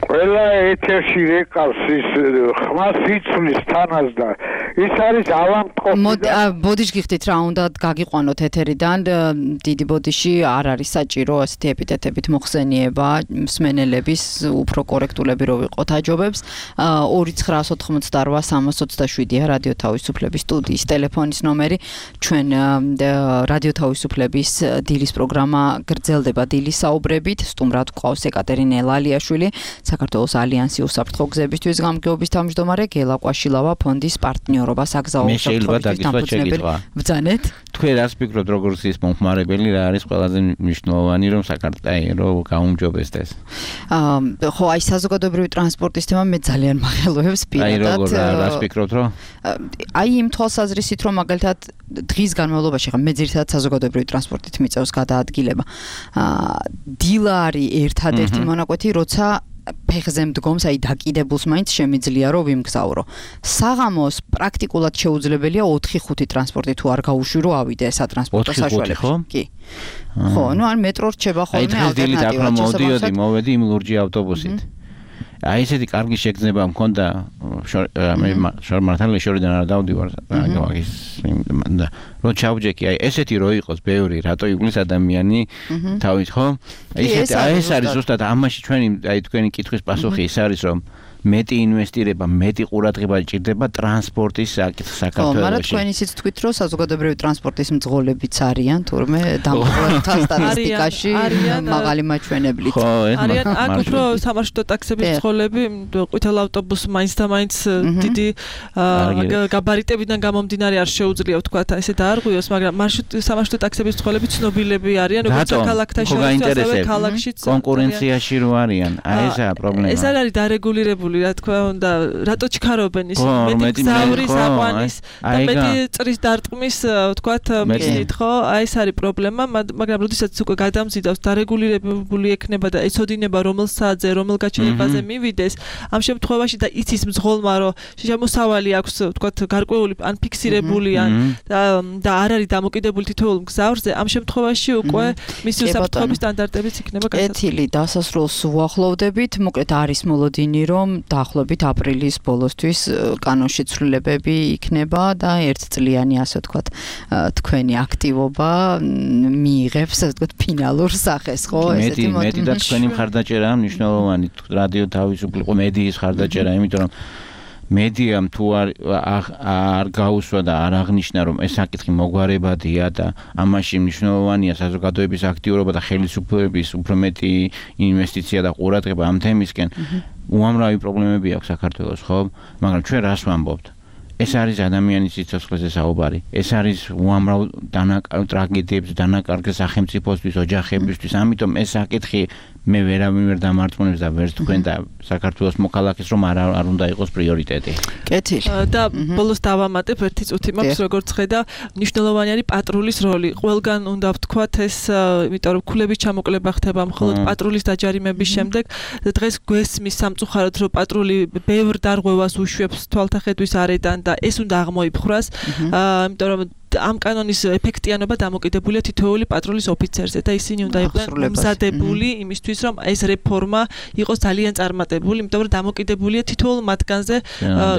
ყველა ეთერში რეკავს ის ხმას იცვლის თანას და ის არის ავანტყოფი. ბოდიში გიხდით რა უნდა გაგიყვანოთ ეთერიდან, დიდი ბოდიში არ არის საჭირო ასეთი ეპიტეტებით მოხსენიება მსმენელების, უფრო კორექტულები რო ვიყოთ აჯობებს. 2988 რადიო თავისუფლების სტუდიის ტელეფონის ნომერი. ჩვენ რადიო თავისუფლების დილის პროგრამა გრძელდება დილის საუბრებით. სტუმრად გვყავს ეკატერინე ელალიაშვილი, საქართველოს ალიანსი უსაფრთხო გზებისთვის გამგეობის თავმჯდომარე, გელა ყვაშილავა ფონდის პარტნიორობა საგზაო უსაფრთხოების დამფუძნებელი. ბრძანეთ. თქვენ რას ფიქრობთ როგორც ის მომხმარებელი რა არის ყველაზე მნიშვნელოვანი რომ საქართველოს გაუმჯობესდეს? ხო, აი საზოგადოებრივი ტრანსპორტის თემა მე ძალიან მახელოებს პირადად. აი როგორ რას ფიქრობთ რომ? აი იმ თვალსაზრისით რომ მაგალითად დღის განმავლობაში ხა მე ძირითადად საზოგადოებრივი ტრანსპორტით მიწევს გადაადგილება. დილა არის ერთადერთი მონაკვეთი, როცა ფეხზე მდგომს, აი დაკიდებულს მაინც შემიძლია რომ ვიმგზავრო. საღამოს პრაქტიკულად შეუძლებელია 4-5 ტრანსპორტი თუ არ გაუშვი რომ ავიდე სატრანსპორტო საშუალებას. კი. ხო, ნუ არ მეტრო რჩება ხოლმე ალტერნატივა. მოდიოდი, მოვედი იმ ლურჯი ავტობუსით. აი ესეთი კარგი შეგრძნება მქონდა მე შორმართალი შორიდან არ დავდივარ მაგის და რო ჩავჯექი აი ესეთი რო იყოს ბევრი რატო იგლის ადამიანი თავით ხო აი ეს არის ზუსტად ამაში ჩვენი აი თქვენი კითხვის პასუხი ის არის რომ მეტი ინვესტირება, მეტი ყურადღება ჭირდება ტრანსპორტის საქართველოში. მაგრამ თქვენ ისიც თქვით, რომ საზოგადოებრივი ტრანსპორტის მძღოლებიც არიან, თურმე დამყარებთან სტატისტიკაში მაღალი მაჩვენებლით. არიან აქ უფრო სამარშრუტო ტაქსების მძღოლები, ყვითელ ავტობუსს მაინც და მაინც დიდი გაბარიტებიდან გამომდინარე არ შეუძლია ვთქვა ესე დაარღვიოს, მაგრამ სამარშრუტო ტაქსების მძღოლები ცნობილები არიან, როგორც ქალაქთა შორის, ასევე ქალაქშიც. კონკურენციაში რო არიან, აი ესაა პრობლემა. ეს არ არის დარეგულირებული რა თქმა უნდა, რატო ჩქარობენ ის მეტი გზავრის აყვანის და მეტი წრის დარტყმის ვთქვათ მიზნით, ხო? აი ეს არის პრობლემა, მაგრამ როდესაც უკვე გადამზიდავს დარეგულირებული ექნება და ეცოდინება რომელ საათზე, რომელ გაჩერებაზე მივიდეს, ამ შემთხვევაში და იცის მძღოლმა, რომ შემოსავალი აქვს ვთქვათ გარკვეული ან ფიქსირებული და არ არის დამოკიდებული თითოეულ გზავრზე, ამ შემთხვევაში უკვე მისი უსაფრთხოების სტანდარტებიც იქნება გასაცდელი. კეთილი დასასრულს უახლოვდებით, მოკლედ არის მოლოდინი რომ დაახლოებით აპრილის ბოლოსთვის კანონში ცვლილებები იქნება და ერთწლიანი ასე ვთქვათ თქვენი აქტივობა მიიღებს ასე ვთქვათ ფინალურ სახეს, ხო? ესეთი მეტი და თქვენი მხარდაჭერაა მნიშვნელოვანი რადიო თავისუფლება, მედიის მხარდაჭერა, იმიტომ რომ მედიამ თუ არ გაუსვა და არ აღნიშნა რომ ეს საკითხი მოგვარებადია და ამაში მნიშვნელოვანია საზოგადოების აქტიურობა და ხელისუფლების უფრო მეტი ინვესტიცია და ყურადღება ამ თემისკენ უამრავი პრობლემები აქვს საქართველოს ხო მაგრამ ჩვენ რას ვამბობთ ეს არის ადამიანის სიცოცხლეზე საუბარი ეს არის უამრავ ტრაგედიებს დანაკარგ სახელმწიფოსთვის ოჯახებისთვის ამიტომ ეს საკითხი მე ვერავინ დამარწმუნებს და ვერც თქვენ და საქართველოს მოქალაქეს რომ არ უნდა იყოს პრიორიტეტი. კეთილი. და ბოლოს დავამატებ ერთი წუთი მაქვს როგორც ხედა მნიშვნელოვანი არის პატრულის როლი. ყველგან უნდა ვთქვათ ეს იმიტომ რომ ქულების ჩამოკლება ხდება მხოლოდ პატრულის დაჯარიმების შემდეგ დღეს გვესმის სამწუხაროდ რომ პატრული ბევრ დარღვევას უშვებს თვალთახედვის არედან და ეს უნდა აღმოიფხვრას. იმიტომ რომ ამ კანონის ეფექტიანობა დამოკიდებულია თითოეული პატრულის ოფიცერზე და ისინი უნდა იყვნენ მომზადებული იმისთვის რომ ეს რეფორმა იყოს ძალიან წარმატებული, იმიტომ რომ დამოკიდებულია თითოეულ მათგანზე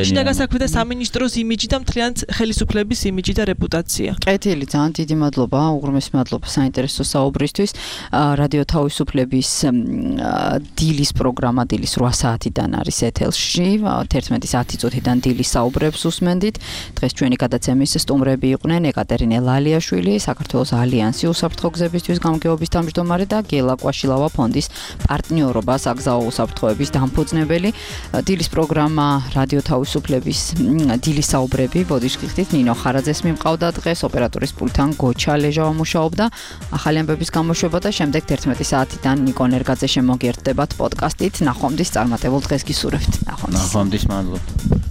შინაგან საქმეთა სამინისტროს იმიჯი და მთლიანად ხელისუფლების იმიჯი და რეპუტაცია. კეთილი, ძალიან დიდი მადლობა, უღრმესი მადლობა საინტერესო საუბრისთვის. რადიო თავისუფლების დილის პროგრამა დილის 8 საათიდან არის ეთელში, 11:10 წუთიდან დილის საუბრებს უსმენდით. დღეს ჩვენი გადაცემის სტუმრები იყვნენ ეკატერინე ლალიაშვილი, საქართველოს ალიანსი უსაფრთხო გზებისთვის გამგეობის თავმჯდომარე და გელა კვაშილავა ფონდის პარტნიორობა საგზაო უსაფრთხოების დამფუძნებელი. დილის პროგრამა რადიო თავისუფლების დილის საუბრები ბოდიშკიხით ნინო ხარაძეს მიმყავდა დღეს ოპერატორის პულტთან გოჩა ლეჟავა მუშაობდა. ახალი ამბების გამოშვება და შემდეგ 11 საათიდან ნიკო ნერგაძე შემოგიერთდებათ პოდკასტით. ნახვამდის წარმატებულ დღეს გისურვებთ. ნახვამდის მადლობა.